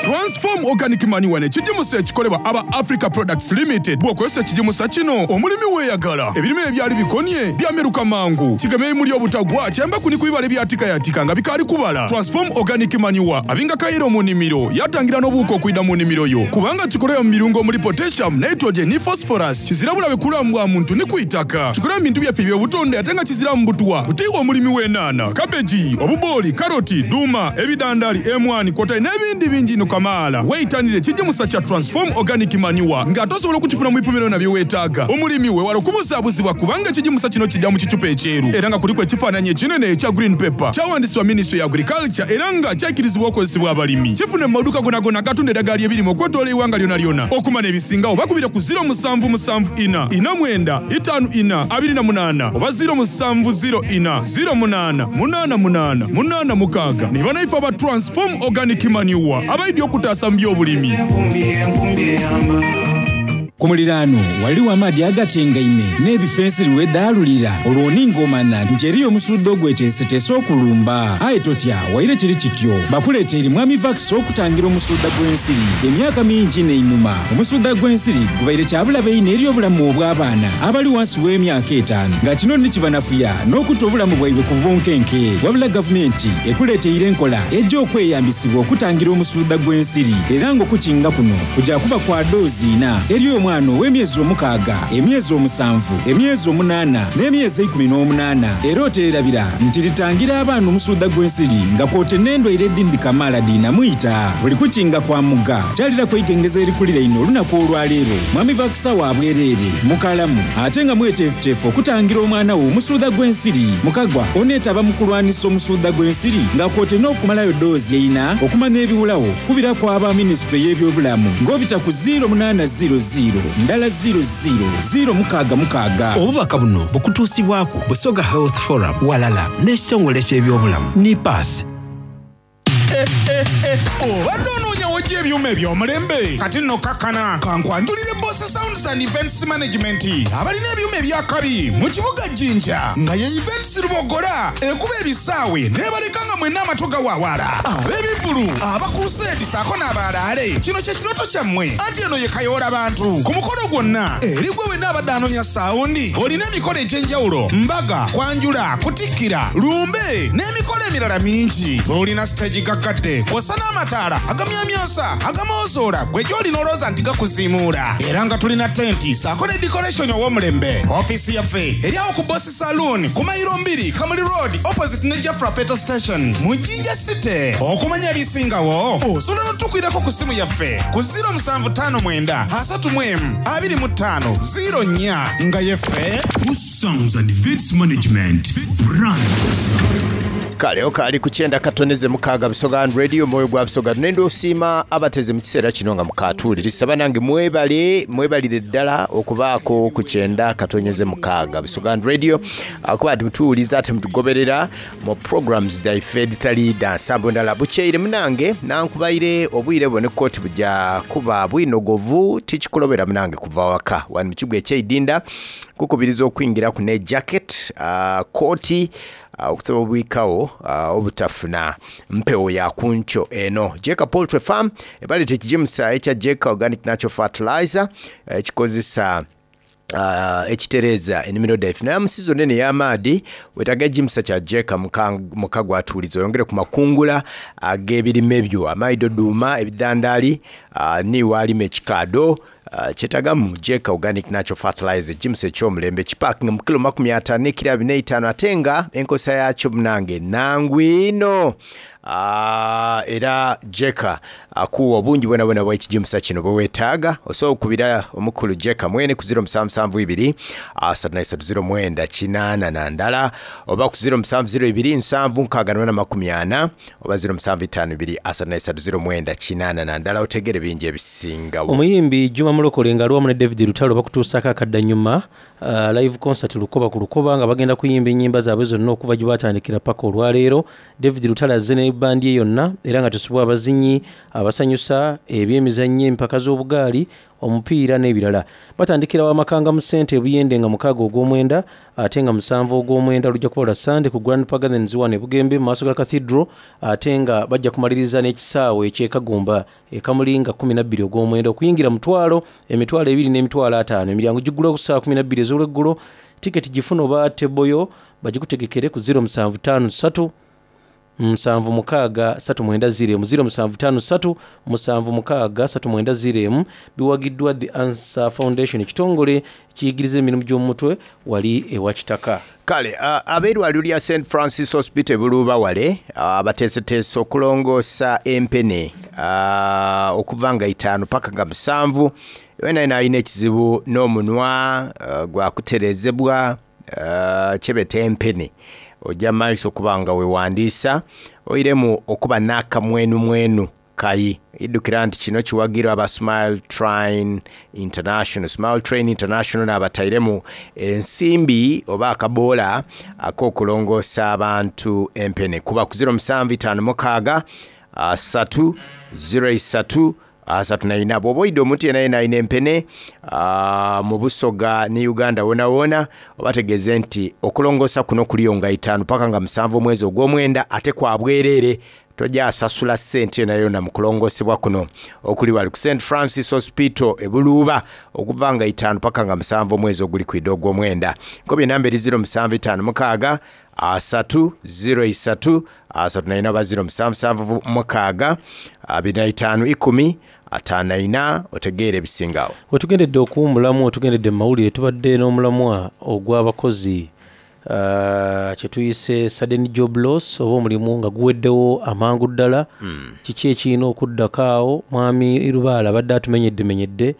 Transform Organic Manure n'ekigimusa ekikolebwa aba Africa Products Limited. Bw'okozesa ekigimusa kino omulimi weeyagala ebirime ebyali bikonye byameruka mangu, kigema ebimuli obutagwa, kyemba kuni ku bibala ebyatikayatika nga bikaali kubala. Transform Organic Manure abinga kayiro mu nnimiro, yatangira n'obuwuka okwida mu nnimiro yo kubanga kikolebwa mu birungo omuli potassium, nitrogen ne phosphorus. Kizira bulabe kulamu bwa muntu ne ku itaka. Kikolebwa mu bintu byaffe eby'obutonde ate nga kizira mu butwa. Butiibwa omulimi w'ennaana, kabeji, obubooli, karoti, duuma, ebidandali, emwani kwotaire n'ebindi bingi ino kamaala. Weeyitanire ekigimusa kya Transform Organic Manure ng'ate osobola okukifuna mu bipimo byonna bye weetaaga. Omulimi weewala okubuzaabuzibwa kubanga ekigimusa kino kijja mu kicupa ekyeru era nga kuliko ekifaananyi ekinene ekya green paper. Kyawandisibwa Ministry ya Agriculture era nga kyakkirizibwa okukozesebwa abalimi. Kifune mu maduuka gonna agatunda eddagala ly'ebirime okwetoola eggwanga lyonna lyonna. Okumanya ebisingawo bakubire ku zero seven seven four four nine five four two eight oba zero seven zero four zero eight eight eight eight six. Ne banaife aba Transform Organic Manure abaidi. eby'okutaasa mu by'obulimi. Ku muliraano waliwo amaadi agatengaime n'ebifensiri wedaalulira olwo ningomana nti eriyo omusudde ogweteeseteese okulumba. Aye totya, waire kiri kityo, bakuleeteire Mwami Vax okutangira omusudda gw'ensiri. Emyaka mingi n'einuma omusudda gw'ensiri gubaire kyabulabe ino eri obulamu obw'abaana abali wansi w'emyaka etaano, nga kino nikibanafuya n'okutta obulamu bwaibwe ku bunkenke. Wabula gavumenti ekuleeteire enkola ejja okweyambisibwa okutangira omusudda gw'ensiri, era ng'okukinga kuno kujja kuba kwa doozi ina eri omwana ow'emyezi omukaaga, emyezi omusanvu, emyezi omunaana n'emyezi eikumi n'omunaana. Era oteerabira nti litangira abaana omusudda gw'ensiri nga kwote n'endwaire edindi kamaala diinamuyita. Buli kukinga kwa muga kyalira kwegengeza erikulira ino olunaku olwaleero. Mwami Vakisa wa bwereere mukalamu ate nga mweteefuteefu okutangira omwana wo omusudda gw'ensiri. Mukagwa oneetaba mu kulwanisa omusudda gw'ensiri nga kwote n'okumalayo doozi eina okumanya ebiwulawo kubira ku aba minisitule y'ebyobulamu ng'obita ku ziro munaana ziro ziro ndala ziro ziro ziro mukaaga mukaaga. Obubaka buno bukutuusibwako Busoga Health Forum walala n'ekitongole ky'ebyobulamu NIPATH. Obadde onoonya wojja ebyuma eby'omulembe, kati nno kakkana kankwanjulire Boss Sounds and Events Management abalina ebyuma ebyakabi mu kibuga Jinja, nga ye Events Lubogola ekuba ebisaawe n'ebaleka nga mwenna amatu gawaawala. Ab'ebivvulu, abakuruseedi ssaako n'abaalaale, kino kye kirooto kyammwe, anti eno ye kayoola bantu ku mukolo gwonna. Eri gwe wenna abadde anoonya saawundi, olina emikolo egy'enjawulo, mbaga, kwanjula, kutikkira, lumbe n'emikolo emirala mingi. Tulina siteegi gaggadde kw'ossa n'amataala agamyamyansa agamoozola gwe gy'olina olowooza nti gakuziimuula, era nga tulina tenti ssaako ne decoration ow'omulembe. Ofiisi yaffe eri awo ku Boss Saloon ku mayiro mbiri Kamuli Road opposite ne Jafra Petrol Station mu Jinja City. Okumanya ebisingawo osobola n'otukwirako ku ssimu yaffe ku ziro musanvu ttaano mwenda asatu mu emu abiri mu ttaano ziro nnya nga yeffe Boss Sounds and Events Management Brand. Kale okaali ku kyenda katoneze mukaaga Busoga Radio, omwoyo gwa Busoga. Nenda osiima abateze mu kiseera kino nga mukatuulirisa. Banange mwebale, mwebalire ddala okubaako ku kyenda katonyeze mukaaga Busoga Radio, akuba nti mutuwuliza ate mutugoberera mu programs dhaife editali dda nsambo ndala. Bukyeire munange nankubaire obwire bwo ne kooti bujja kuba bwinogovu, tikikulobera munange kuva waka wano mu kigo ekyeidinda kukubiriza okwingira ku ne jacket, uh, kooti uh, okusaba obwikawo uh, obutafuna mpewo ya kuncho eno. Jeka Poultry Farm ebaleeta ekigimusa ekya Jeka Organic Natural Fertilizer ekikozesa uh, ekitereeza ennimiro dhaife. Naye mu season eno ey'amaadhi weetaaga ekigimusa kya Jeka muka gwatuuliza oyongere ku makungula ag'ebirime byo, amaido duuma, ebidhandaali, uh, niiwe alima ekikaado. Uh, kyetagamu Jeka Organic Natural Fertilizer ekigimusa eky'omulembe kipakinga mu kilo makumi ataano n'ekiro abiri n'eitaano, ate nga enkozesa yakyo munange nangu ino. Uh, era Jeka akuwa obungi bwona bwona bw'ekigimusa kino bwe weetaaga. Osobola okubira omukulu Jeka mwene ku ziro musanvu musanvu ibiri asatu na isatu ziro mwenda kinaana na ndala, oba ku ziro musanvu ziro ibiri nsanvu nkaaga na makumi ana, oba ziro musanvu itaano ibiri asatu na isatu ziro mwenda kinaana na ndala. Otegere bingi ebisingawo. Omuyimbi Juma Mulokole nga ali wamu ne David Lutalo bakutuusaako akaddannyuma uh, live concert Lukoba ku Lukoba, nga bagenda kuyimba ennyimba zaabwe zonna okuva gye batandikira paka olwaleero. David Lutalo azze ne bandi ye yonna, era nga tusubwa abazinyi abasanyusa, ebyemizannyo, empaka z'obugaali, omupiira n'ebirala. Batandikira Wamakanga mu ssente ebuyende nga mukaaga ogw'omwenda, ate nga musanvu ogw'omwenda lujja kuba lwa Sande ku Grand Pagans wano e Bugembe mu maaso ga Cathedral, ate nga bajja kumaliriza n'ekisaawe eky'e Kagumba e Kamuli nga kkumi na bbiri ogw'omwenda. Okuyingira mutwalo, emitwalo ebiri n'emitwalo ataano. Emiryango giggulwa ku ssaawa kkumi na bbiri ez'olweggulo. Tiketi gifuna oba teboyo bagikutegekere ku ziro musanvu ttaano ssatu musanvu mukaaga ssatu mwenda ziro emu, ziro musanvu ttaano ssatu musanvu mukaaga ssatu mwenda ziro emu. Biwagiddwa The Answer Foundation, ekitongole kiyigiriza emirimu gy'omutwe wali ewa Kitaka. Kale uh, ab'eddwaliro lya Saint Francis Hospital Buluuba wale uh, bateeseteese okulongoosa empene uh, okuva nga itaano paka nga musanvu. Wena yena alina ekizibu n'omunwa uh, gwakutereezebwa, uh, kyebeta empene, ojja maiso okuba nga wewandiisa oiremu okuba n'akamwenumwenu kayi. Iddukira nti kino kiwagirwa aba Smile Train International. Smile Train International n'abatairemu ensimbi oba akaboola ak'okulongoosa abantu empene. Kuba ku ziro musanvu itaano mukaaga asatu ziro isatu asatu na ina. Bw'oba oyidde omuntu yenna yenna alina empene ah, mu Busoga ne Uganda wona wona, obategeeze nti okulongoosa kuno kuliyo nga itaano paka nga musanvu omwezi ogw'omwenda, ate kwa bwereere, tojja asasula ssente yonna yonna mu kulongoosebwa kuno okuli wali ku Saint Francis Hospital e Buluuba okuva nga itaano paka nga musanvu omwezi oguli kwidde ogw'omwenda. Nkobye namba eri ziro musanvu itaano mukaaga asatu ziro isatu asatu na ina oba ziro musanvu musanvu mukaaga abiri na itaano ikumi ataano na ina, otegeere ebisingawo. Wetugendedde okuwummulamu, otugendedde mu mawulire, tubadde n'omulamwa ogw'abakozi uh, kyetuyise sudden job loss, oba omulimu nga guweddewo amangu ddala. Mm. Kiki ekirina okuddako awo? Mwami Lubaale abadde atumenyeddemenyedde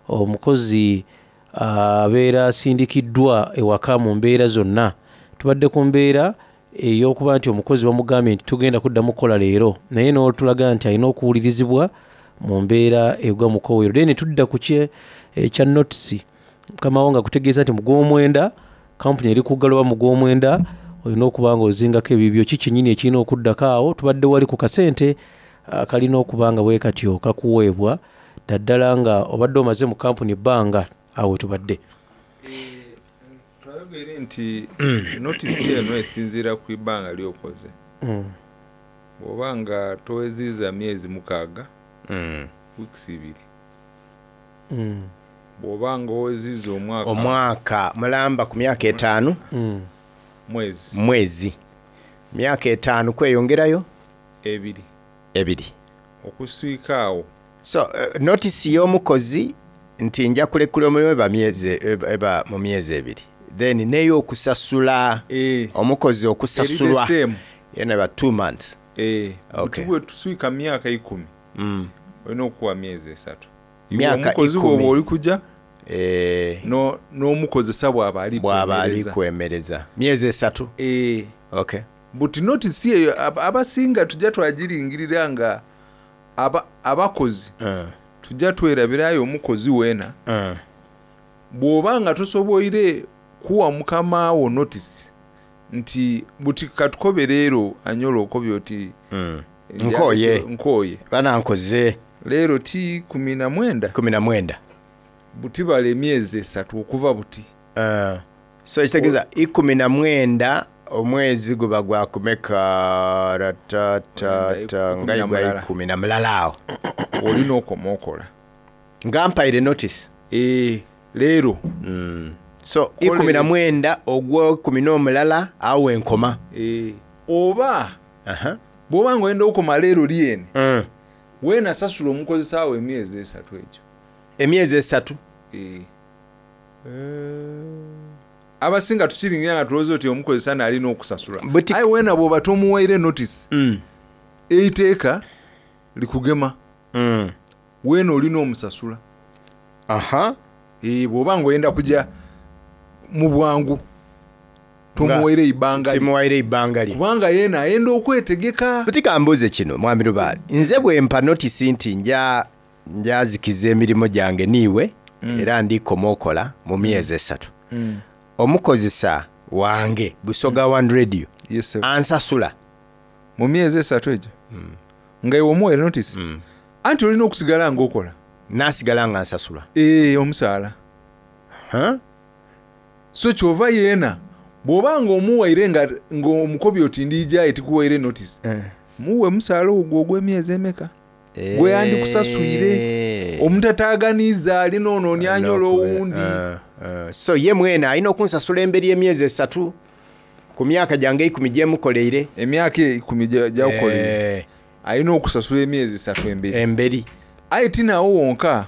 omukozi abeera asindikiddwa ewaka mu mbeera zonna. Tubadde ku mbeera ey'okuba nti omukozi bamugambye nti tugenda kuddamu kukola leero, naye n'otulaga nti alina okuwulirizibwa mu mbeera egwa mu kowero. Then tudda ku kye ekya notisi mukamawo nga kutegeeza nti mu gw'omwenda kampuni eri kuggala, oba mu gw'omwenda olina okuba nga ozingako ebibyo. Ki kyennyini ekirina okuddako awo? Tubadde wali ku kasente akalina okuba nga bwe katyo kakuweebwa, naddala nga obadde omaze mu kampuni ebbanga. Awo tubadde twayogere nti notisi eno esinziira ku ibbanga lyokoze. Mm. Bw'oba nga toweziza myezi mukaaga, Mm. weeks ibiri. Mm. Bw'oba nga oweziza omwaka, omwaka mulamba ku myaka etaano, Mm. mwezi mwezi myaka etaano kweyongerayo ebiri ebiri okuswika awo. So uh, notisi y'omukozi nti nja kulekula omulimu eba myezi eba, eba mu myezi ebiri, then n'ey'okusasula omukozi okusasulwa Eri the same. yena eba two months. Eh, Okay. buti bwe tuswika myaka ikumi, Mm. olina okuwa myezi esatu. Iwe Myaka omukozi ikumi. bw'oba oli kujja Eh, no- n'omukozesa bw'aba ali bw'aba ali kwemereza. kwemereza myezi esatu. Eh. Okay. Buti notisi eyo ab- abasinga tujja twagiringirira nga aba- abakozi uh, tujja twerabirayo omukozi weena. uh. Bw'oba nga tosoboire kuwa mukamaawo notisi nti buti katukobe leero anyola okobye oti Mm. Nkooye. Nkooye banankoze leero ti kumi na mwenda kumi na mwenda buti bala emyezi esatu okuva buti. Uh, so ekitegeeza ikumi na mwenda omwezi guba gwakumeka ratatata nga na gwa mulala. ikumi na mulala awo olina okoma okola nga mpaire notice e, leero mm. So ikumi na mwenda ogwekumi n'omulala awo enkoma. e, oba bw'oba nga oyenda okoma leero lyene, mm. weena sasula omukozesa wo emyezi esatu egyo. Emyezi esatu. E. Abasinga tukiringira nga tulowooza oti omukozesa naalina okusasula, aye weena bw'oba tomuwaire notice, mm. eiteeka likugema, mm. weena olina omusasula. Aha. E, bw'oba nga oyenda kujja mu bwangu tomuwaire eibanga lye. Timuwaire ebbanga lye kubanga yeena ayenda okwetegeka. Buti kambuuze kino mwami Lubaale, nze bwe mpa notisi nti nja njazikiza emirimu gyange niiwe, Mm. era ndikoma okola mu myezi esatu, Mm. omukozesa wange Busoga One Radio yes, ansasula mu myezi esatu egyo nga iwe omuwaire notice, anti olina okusigala ngaokola. Nasigala nga nsasula. Ee, omusaala. So kyova yeena bw'oba nga omuwaire nga ng'omukobi oti ndiijaye tikuwaire notice, muwe musaala ogwo ogw'emyezi emeka gwe yandikusaswire omutataaganiza alina ono onyanyola owundi. Uh, so ye mwene alina okunsasula emberi y'emyezi esatu ku myaka gyange ikumi gyemukoleire. Emyaka ikumi gyakukoleire alina okusasula emyezi esatu emberi. Emberi. Aye tinawo wonka,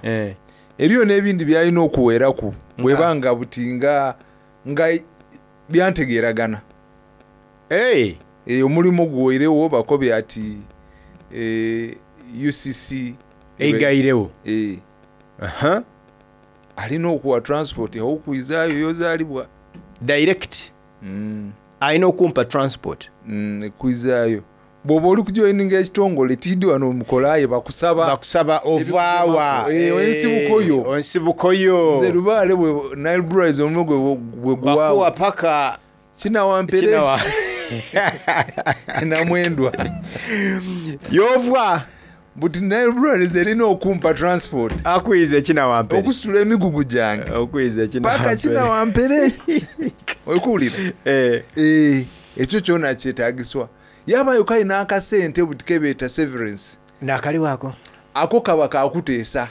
eriyo n'ebindi byalina okuweeraku bweba nga buti nga nga byantegeeragana. Hey. E, omulimu guweirewo bakobye ati e, U C C Eigairewo. E. Aha. Alina okuwa transport awokwizaayo yozaalibwa. Direct. Mm. Alina okumpa transport. Mm, ekwizaayo bw'oba oli kujoyininga ekitongole tiddi wano mukolaye bakusaba bakusaba ovaawa. Eh, ensibuko yo. Ensibuko yo. Nze Lubaale bwe Nile Breweries omulimu gwe bwe guwaawo bakuwa paka kinawampere. Kinawa- Namwendwa yovwa buti nalwaliza erina okumpa transport akwiza ekinawampere okusitula emigugu gyange okwiza paka kinawampere okuwulira Eh. Eh, ekyo kyona kyetagiswa yabayo kalina akasente buti kebeeta severance nakaliwako ako kaba kakuteesa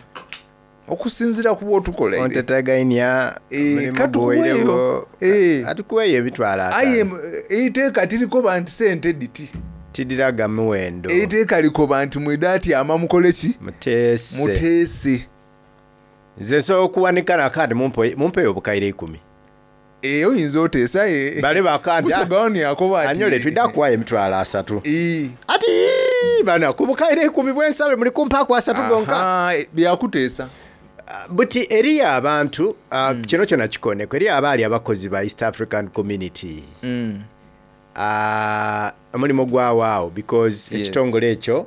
okusinziira ku bwotukola ontetegainya Eh, katukuweeyo. Eh. atukuweeyo ebitwalo aye ataano eiteeka tirikoba nti sente diti tidiraga muwendo eiteeka likoba nti mwida atyama mukole ki muteese muteese nze nsobola okuwanika nakandi mumpe mumpeyo obukaire ikumi Eh, oyinza oteesa eh. bale bakandi Busoga yakoba ati anyole twidda kuwayo emitwalo asatu Eh. ati "Ii, bana ku bukaire ikumi bwensabe muli kumpaaku asatu gonka Aha, eh, byakuteesa buti eriyo abantu ah, Mm. kino kyona kikoneko eriyo abaali abakozi ba East African Community Mm. Ah, omulimu gwawaawo because Yes. ekitongole ekyo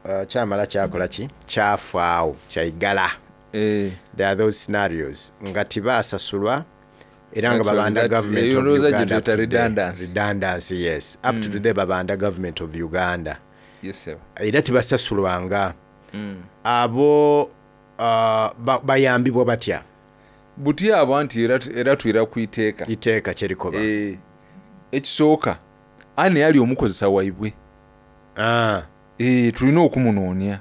ah, kyamala kyakola ki kyafaawo kyaigala Eh. There are those scenarios nga tibasasulwa era nga Actually, babanda that- government eyo of ndowooza gye Uganda up tuyita to today. redundancy. Redundancy, yes up to Mm. today babanda government of Uganda Yes, sir. era tibasasulwanga Mm. abo ah, ba- bayambibwa batya buti abo nti era, era twira ku iteeka iteeka kyerikoba eh, ekisooka ani ali omukozesa waibwe ah. eh, tulina okumunoonya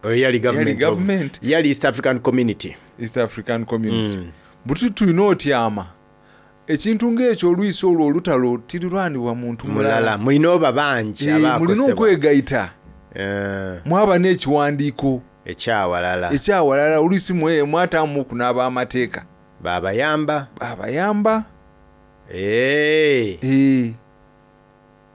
Oyo yali government, Yali of- government. yali East African Community East African Community Mm. buti tulina otyama ekintu ng'ekyo olwisi olwo olutalo tirirwanibwa muntu mulala mulala mulina oba bangi Eh, mulina abakosebwa okwegaita Eh, mwaba n'ekiwandiiko ekyawalala ekyawalala oluisi mwe- mwataamu kunaaba amateeka babayamba babayamba Eh. Eh.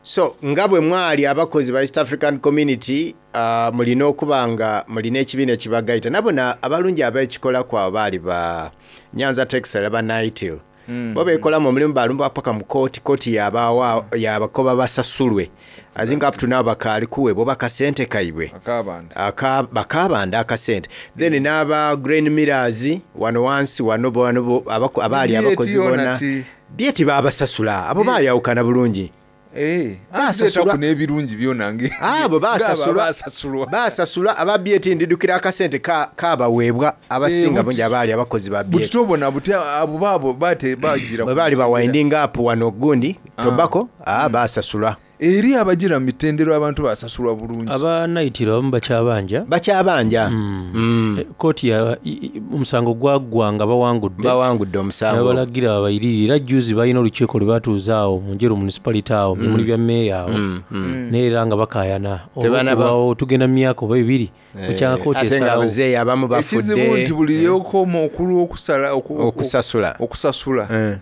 So nga bwe mwali abakozi ba East African Community uh, mulina okuba nga mulina ekibiina ekibagaita nabona abalungi abekikola kwabo baali ba Nyanza Textile aba Nightil Mm. bo beekolamu omulimu balumba paka mu kooti kooti yabawa yabakoba basasulwe I think up to now bakaali kuweebwa bakasente kaibwe akabanda Aka- bakabanda akasente then n'aba grain millers wano wansi wano bo- wano bo- abako- abaali B A T abakozi ona bonna ti- byeti baabasasula abo baayawukana bulungi Eh, Basasulwa. anti n'ebirungi byona nge- abo ng'abo basasulwa abasasulwa. basasulwa aba B A T ndidukira akasente ka- kabaweebwa abasinga Eh, buti- bungi abaali abakozi ba buti B A T tobona buti abo baabo bate bagira bwe baali ba winding up wano gundi tobacco ah, basasulwa eri abagira mu mitendero abantu basasulwa bulungi Aba naitiro abamu bakyabanja. Bakyabanja. Mm. Eh, Kooti ya i- i- omusango gwaggwa nga bawangudde. Bawangudde omusango. Nabalagira babayirire era juzi balina olukiiko lwe batuuza awo mu Njeru municipality awo mu bimuli Mm. bya mmeeya awo. Mm, mm. Naye era nga bakaayana. Tebanaba- Olw'okubaawo tugenda mu myaka oba ebiri Eh, bukyanga kooti ate nga esalawo. abazeeyi abamu ekizibu bafudde nti buli yokoma okulu okusala oku- oku- okusasula okusasula Eh.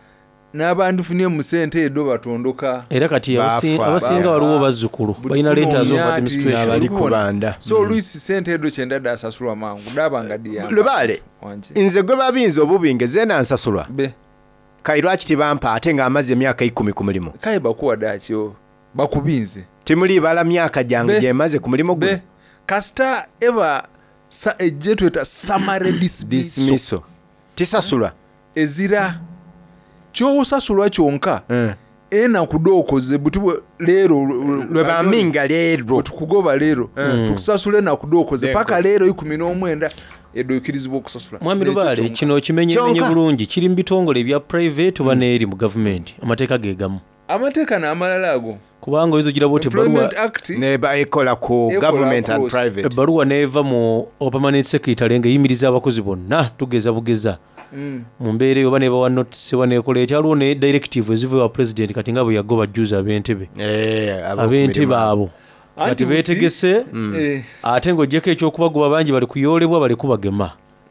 n'abandifunye mu sente edo batondoka Era kati abasi- Bafa. abasinga waliwo bazzukulu balina letters of administration. so oluisi sente edo kyenda dasasulwa mangu daba nga diyamba Lubaale nze gwe babinza obubinge zeena nsasulwa kai lwaki tibampa ate ng'amaze emyaka ikumi ku mulimu kaye bakuwa dakyo bakubinze timulibala myaka gyange Be. gyemaze ku mulimu guno kasita eba sa- ejje tweta summary dismissal dismissal tisasulwa ezira kyosasulwa kyonka Eh. enaku dookoze buti bwe- leero lwe baminga leero tukugoba leero Mm. tukusasula enaku dookoze Dookoze. paka leero ikumi n'omwenda edo okirizibwa okusasula Mwami N'ekyo Lubaale kyonka. kino kimenyemenye Kyonka. bulungi kiri mu bitongole ebya private oba n'eri mu gavumenti amateeka ge gamu amateeka n'amalala ago kubanga oyinza ogira bwoti ebbaluwa Employment Act neba ekola ku Ekola government and across. private ebbaluwa n'eva mu permanent secretary ng'eyimiriza abakozi bonna tugeza bugeza Mm. mu mbeera eyo oba nebawa notice oba nekola etya waliwo ne directive eziva ewa president kati nga bwe yagoba juzi ab'entebe Eh, ab'oku ab'entebe mirimu. abo nga Anti buti- tebeetegese Mm. Eh. ate ng'oggyeko ekyokubagoba bangi bali kuyoolebwa bali kubagema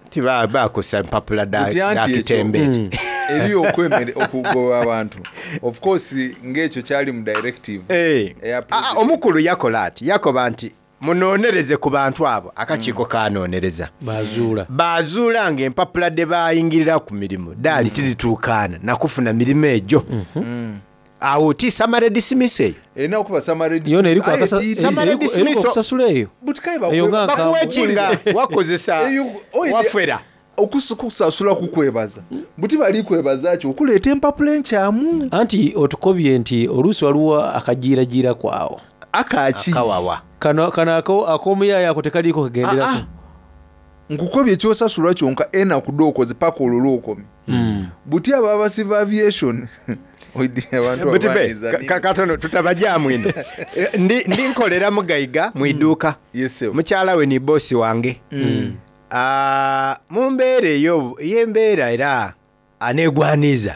tiba bakosa empapula da Buti anti da ekyo, kitembe eri okwemere okugoba abantu of course ng'ekyo kyali mu directive Eh. eya Ah, omukulu yakola ati yakoba nti munoonereze ku bantu abo akakiiko kanoonereza bazuula bazuula nga empapula de bayingirira ku mirimu daali tirituukaana nakufuna mirimu egyo awo ti summary dismiss eyo erina okuba summary Yona eriko Aye, akasa- tiiri. Summary eriko- eriko dismissal. okusasula eyo Buti kaye Eyo nga bakuwa nkambwe. ekinga wakozesa Eyo- oide- wafera Okusasula kukwebaza buti bali kwebaza ki okuleeta empapula enkyamu. Anti otukobye nti oluusi waliwo akajiirajiira kwawo. Akaki? Akawawa. Kano kano ako ak'omuyaaya ako tekaliiko kagenderako. Ah, ah. Nkukobye ekyosasulwa kyonka enaku dookoze paka olwo lwokomye. Buti abo abasiva aviation oidi abantu Buti be, abanyiza ka- ka- katono tutabajaamu ino. Eh, ndi ndi nkolera mugaiga mu iduuka. Mukyala we ni bosi wange. Mm. Ah, mu mbeera eyo ey'embeera era aneegwaniza.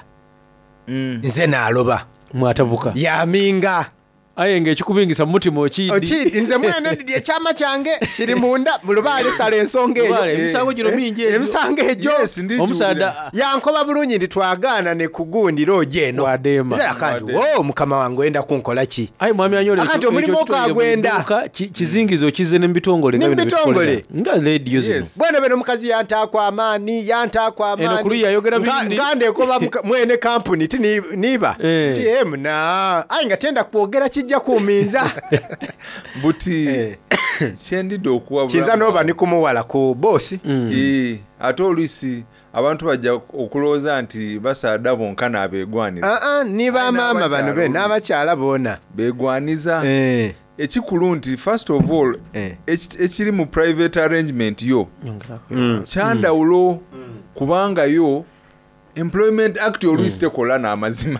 Nze naaloba. Mwatabuka. Yaminga. Aye ng'ekikubingisa mu mutima okiidi. Okiidi nze mwene ndidi ekyama kyange kiri munda mu lubaale sala ensonga eyo. Lubaale, emisango gino mingi egyo. Emisango egyo. Omusaadha- yankoba bulungi nti twagaana ne kugundira ojo eno. Wadeema. Nze akandi wo mukama wange oyenda kunkola ki? Aye mwami Anyole Akati ekyo- omulimu ekyo kitongole mu okagwenda. dduuka, ki- kizingiza okize ne mu bitongole nga Ne mu bino bitongole. byetukolera. Nga leediyo zino. Bwene beno omukazi yantaako amaani yantaako Eno ku luyi ayogera amaani bindi. nga ndekoba muka- mwene kampuni ti ni- niba Eh. ti emuna aye nga tenda kwogera kijja kuminza. Buti kyendidde okuwa Kiza n'oba ni kumuwala ku boosi. Eh, ate oluisi abantu bajja okulowooza nti basaada bonka n'abeegwaniza. Ah, ah, ni bamaama bano be n'abakyala boona beegwaniza. Ekikulu nti first of all eki- ekiri mu private arrangement yo Mm. kyandawulo kubanga yo Employment Act oluisi tekola n'amazima.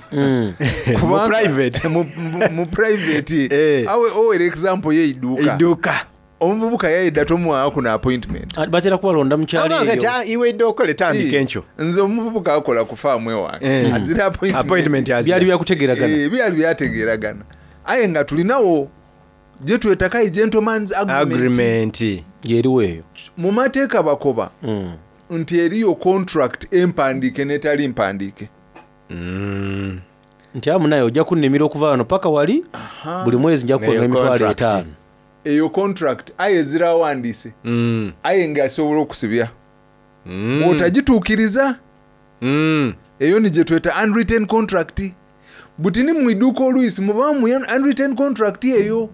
Kubanga- Mu private. mu- mu- mu private awe owera example yeidduuka Idduuka. Omuvubuka yayedda tomuwaako kuno appointment. Ah, batera kubalonda mu kyalo Abange eyo. ta- iwe idduuka litandika enkyo. Nze omuvubuka akola ku faamu ewange Eh. azira Appointment appointment. azira. Byali byakutegeeragana. Eh, byali byategeeragana aye nga tulinawo gye twetakayi gentlemans agreement. Agreement. Yeriwo eyo. Mu mateeka bakoba nti eriyo contract empandiike netali mpandiike. Nti amu naye ojja kunnimira okuva wano paka wali buli mwezi nja kuwenga Eyo emitwalo contract. etaano. Eyo contract aye ezirawandiise aye ng'asobola okusibya bw'otagituukiriza. Eyo ni gye tweta unwritten contract. Buti ni mu idduuka oluisi mubamu mu unwritten contract eyo.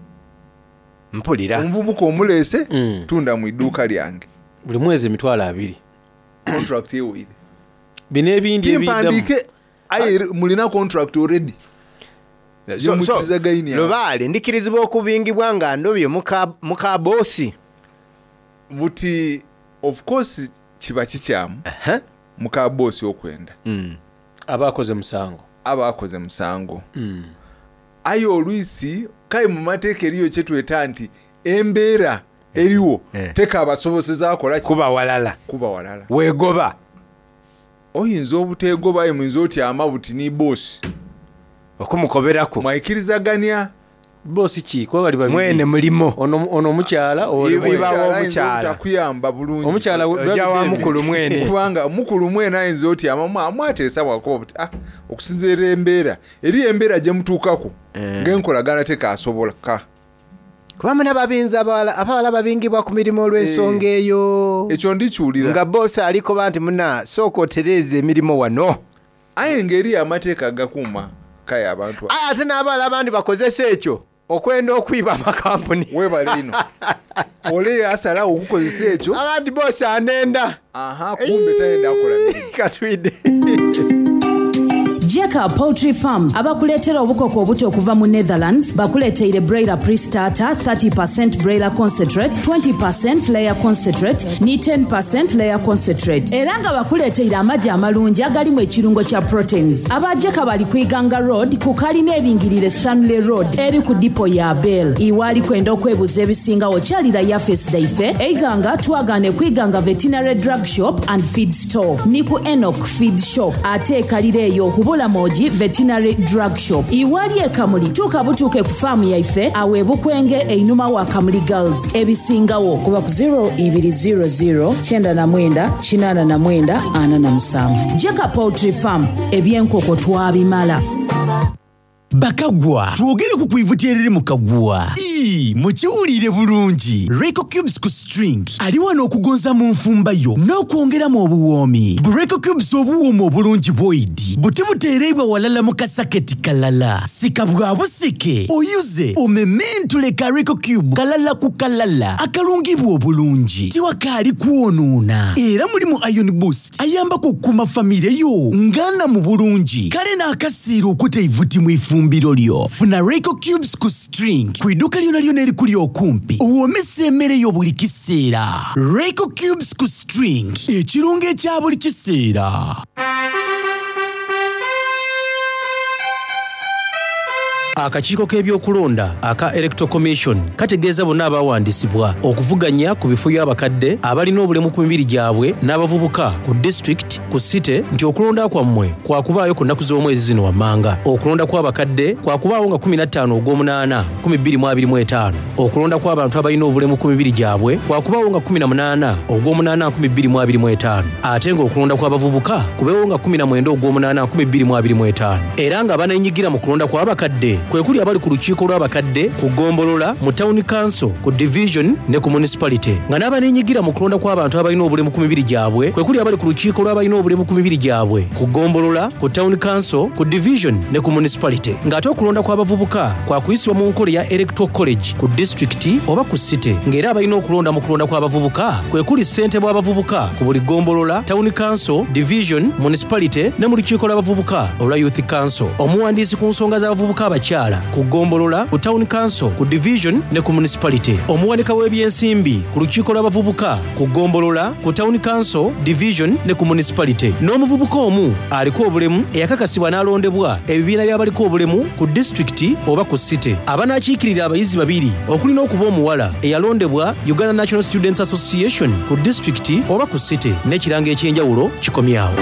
Mpulira. Omuvubuka omuleese tunda mu idduuka lyange Buli mwezi emitwalo abiri. Contract eweire. Bino ebindi ebiddamu. Timpandiike aye mulina contract already. So- so, Gyemukirizaganya. Lubaale ndikirizibwa okubingibwa nga ndobye muka muka boosi. Buti of course kiba kikyamu muka boosi okwenda. Aba akoze musango. Aba akoze musango. Aye olwisi kaye mu mateeka eriyo kyetweta nti embeera eriwo tekabasoboseza akola ki? Kuba walala. Kuba walala. Weegoba. Oyinza obuteegoba aye muyinza otyama buti ni boosi Okumukoberako. Mwayikirizaganya. Boosi ki? Kuba bali babiri. Mwene mulimo. Ono ono omukyala oli Iba- mwene. iba Ayinza omukyala. obutakuyamba bulungi. Omukyala we- Ojja wa mukulu mwene. Kubanga mukulu mwene ayinza otyama mwa- mwateesa bwakuba buti ah, okusinziira embeera eriyo embeera gye mutuukako ng'enkolagana tekasoboka. Kuba muna babinza abawala abawala babingibwa ku mirimu olw'ensonga eyo. Ekyo ndikiwulira. Nga boosi alikoba nti muna sooka otereeza emirimu wano. Aye ng'eriyo amateeka agakuuma kaye abantu Aye ate n'abawala abandi bakozesa ekyo okwenda okwiba amakampuni. Weebale ino. Ole asalawo okukozesa ekyo. Abandi boosi anenda. Aha, kumbe tayenda akola mirimu. Katwidde. Jeka Poultry Farm abakuleetera obukoko obuto okuva mu Netherlands bakuleeteire broiler pre-starter thirty percent broiler concentrate, twenty percent layer concentrate ne ten percent layer concentrate era nga bakuleeteire amagi amalungi agalimu ekirungo kya proteins. Aba Jeka bali ku Iganga Road ku kalina eringirire Stanley Road eri ku dipo ya Bell. Iwaali kwenda okwebuza ebisingawo kyalira yafesi daife eiganga twagane ku Iganga Veterinary Drug Shop and Feed Store ni ku Enoch Feed Shop ate ekalira eyo ku Bulamogi Veterinary Drug Shop. Iwali ekamuli tuuka butuuke ku faamu yaife awo ebukwenge einuma wa Kamuli Girls. Ebisingawo kuba ku zero two zero zero nine nine eight nine nine four seven. Jeka Poultry Farm ebyenkoko twabimala. Bakagwa twogere ku kwivuti eriri mu kagwa. Ii, mukiwulire bulungi. Reco Cubes ku string ali wano okugonza mu nfumba yo n'okwongeramu obuwoomi. Bu Reco Cubes obuwooma obulungi bwoidi buti buteereibwa walala mu kasaketi kalala. Sika bwa busike oyuze omementule ka Reco Cube kalala ku kalala akalungibwa obulungi tiwakaali kwonoona. Era mulimu Iron Boost ayambako okukuuma famire yo ngana mu bulungi kale n'akasiira okuta eivuti mu ifumbiro lyo. Funa Reco Cubes ku string ku idduka lyona lyona erikuli okumpi owoomesa emmere yo buli kiseera. Reco Cubes ku string ekirungo ekya buli kiseera. Akakiiko k'ebyokulonda aka Electoral Commission kategeeza bonna abawandiisibwa okuvuganya ku bifo by'abakadde abalina obulemu ku mibiri gyabwe n'abavubuka ku district ku city nti okulonda kwammwe kwakubaayo ku nnaku z'omwezi zino wammanga. Okulonda kw'abakadde kwakubaawo nga kkumi na ttaano ogw'omunaana nkumi bbiri mu abiri mu etaano. Okulonda kw'abantu abalina obulemu ku mibiri gyabwe kwakubaawo nga kkumi na munaana ogw'omunaana nkumi bbiri mu abiri mu etaano. Ate ng'okulonda kw'abavubuka kubeewo nga kkumi na mwenda ogw'omunaana nkumi bbiri mu abiri mu etaano. Era nga baneenyigira mu kulonda kw'abakadde kwe kuli abali ku lukiiko lw'abakadde ku ggombolola mu town council ku division ne ku municipality, nga n'abaneenyigira mu kulonda kw'abantu abalina obulemu ku mibiri gyabwe kwe kuli abali ku lukiiko lw'abalina obulemu ku mibiri gyabwe ku ggombolola ku town council ku division ne ku municipality, ng'ate okulonda kw'abavubuka kwakuyisibwa mu nkola eya electoral college ku disitulikiti oba ku city, ng'era abalina okulonda mu kulonda kw'abavubuka kwe kuli ssentebe w'abavubuka ku buli ggombolola town council division municipality ne mu lukiiko lw'abavubuka olwa youth council. Omuwandiisi ku nsonga z'abavubuka abakyala ku ggombolola ku town council ku division ne ku municipality. Omuwanika w'ebyensimbi ku lukiiko lw'abavubuka ku ggombolola ku town council division ne ku municipality. N'omuvubuka omu aliko obulemu eyakakasibwa n'alondebwa ebibiina by'abaliko obulemu ku disitulikiti oba ku city. Abanaakiikirira abayizi babiri okuli n'okuba omuwala eyalondebwa Uganda National Students Association ku disitulikiti oba ku city n'ekirango eky'enjawulo kikomyawo.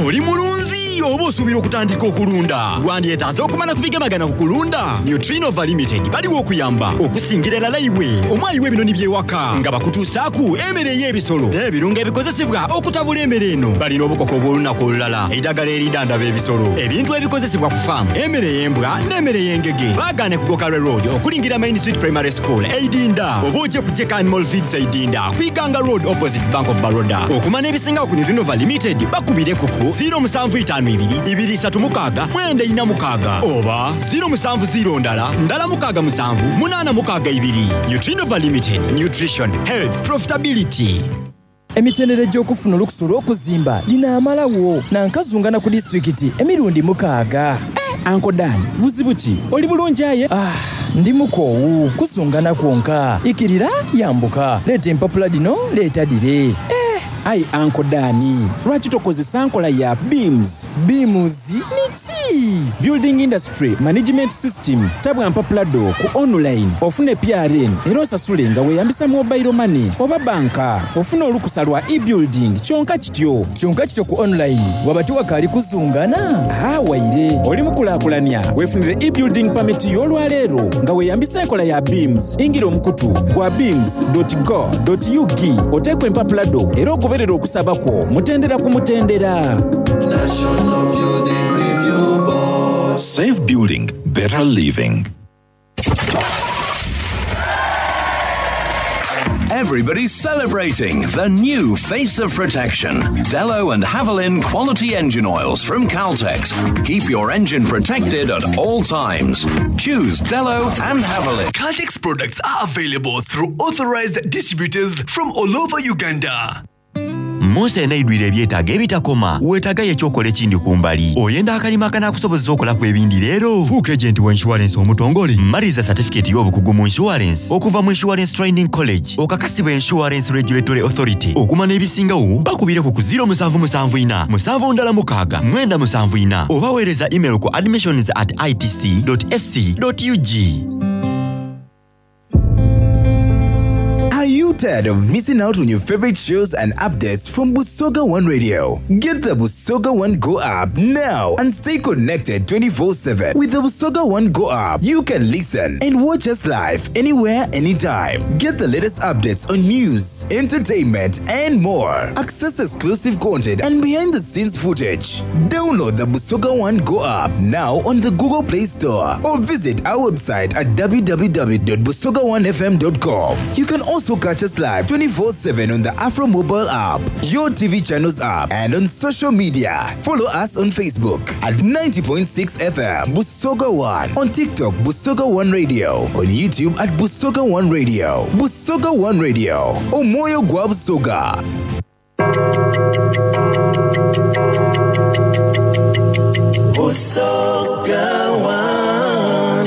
Oli mulunzi oba osuubira okutandika okulunda? Wandyetaaze okumala ku bigemagana ku kulunda? Nutrinova Limited baliwo okuyamba okusingira erala iwe omwayi w'ebinoni by'ewaka nga bakutuusaaku emmere ey'ebisolo n'ebirungo ebikozesebwa okutabula emmere eno. Balina obukoko obw'olunaku olulala, eddagala eridandaba ebisolo, ebintu ebikozesebwa ku faamu, emmere ey'embwa n'emmere ey'engege. Baagaane ku Gokalwe Road okulingira Main Street Primary School Eidinda oba ojje ku Jeka Animal Feeds Eidinda ku Iganga Road opposite Bank of Baroda. Okumanya ebisingawo ku Nutrinova Limited bakubire kuku ziro musanvu itaano ibiri ibiri isatu mukaaga mwenda ina mukaaga oba ziro musanvu ziro ndala ndala mukaaga musanvu munaana mukaaga ibiri. Nutrinova Limited, nutrition, health, profitability. Emitendera egy'okufuna olukusa olw'okuzimba linaamalawo nankazungana ku disitulikiti emirundi mukaaga. Uncle Dan, buzibu ki? Oli bulungi aye? Ah, ndi mukoowu kuzungana kwonka. Ikirira yambuka, leeta empapula dino, leeta dire. Eh, ayi Uncle Dan, lwaki tokozesa nkola ya BIMS? BIMS niki? Building Industry Management System. Tabwa mpapula do ku online ofune P R N era osasule nga weeyambisa mobile money oba banka. Ofune olukusa lwa e-building kyonka kityo. Kyonka kityo ku online waba tiwakaali kuzungana? Ah, waire oli mukulaakulanya weefunire e-building permit y'olwaleero nga weeyambisa enkola ya BIMS. Ingira omukutu gwa bims dot go dot U G oteekwa empapula do era ogoberera okusaba kwo mutendera ku mutendera. National Building Review Board. Safe building, better living. Everybody's celebrating the new face of protection. Dello and Havilland quality engine oils from Caltex. Keep your engine protected at all times. Choose Dello and Havilland. Caltex products are available through authorized distributors from all over Uganda. Munsi enaidwire ebyetaago ebitakoma, weetaagayo ekyokola ekindi ku mbali. Oyenda akalima akanaakusobozesa okolaku ebindi leero. Fuuka agent wa insurance omutongole. Maliriza certificate y'obukugu mu insurance okuva mu Insurance Training College. Okakasibwa Insurance Regulatory Authority. Okumanya ebisingawo bakubireko ku ziro musanvu musanvu ina musanvu ndala mukaaga mwenda musanvu ina oba weereza email ku admissions at i t c dot s c dot u g. Are you tired of missing out on your favorite shows and updates from Busoga One Radio? Get the Busoga One Go app now and stay connected twenty-four seven. With the Busoga One Go app, you can listen and watch us live anywhere, anytime. Get the latest updates on news, entertainment, and more. Access exclusive content and behind the scenes footage. Download the Busoga One Go app now on the Google Play Store or visit our website at w w w dot busoga one f m dot com. You can also catch us live twenty-four seven on the Afro mobile app, your T V channels app, and on social media. Follow us on Facebook at ninety point six F M Busoga One, on TikTok Busoga One Radio, on YouTube at Busoga One Radio. Busoga One Radio, Omoyo gwa Busoga. Busoga One.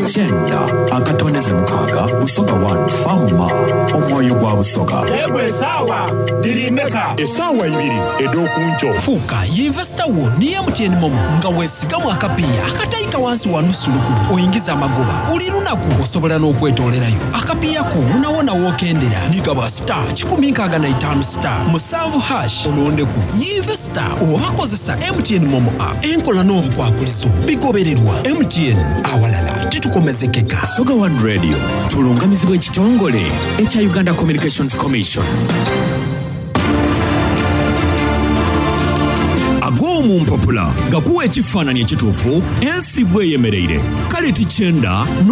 Kyenda akatondeze mukaaga Busoga One Fama omwoyo gwa Busoga. Yegwe esaawa dirimeka esaawa ibiri ed'okunco. Fuuka yinvesita wo ne M T N MoMo nga weesigamu akapiiya akatayika wansi wa nusu lukumi oyingiza amagoba buli lunaku osobola n'okwetoolerayo akapiiya ko wonawona w'okendera nigaba star kikumi nkaaga na itaano star musanvu hash olondeku yinvesita oba kozesa M T N MoMo app enkola n'obukwakulizo bigobererwa M T N awalala titukomezekeka. Busoga One Radio tulungamizibwa ekitongole ekya Uganda Communications Commission. Ag'omu mpapula gakuwa ekifaananyi ekituufu ensi bweyemereire kale tikyenda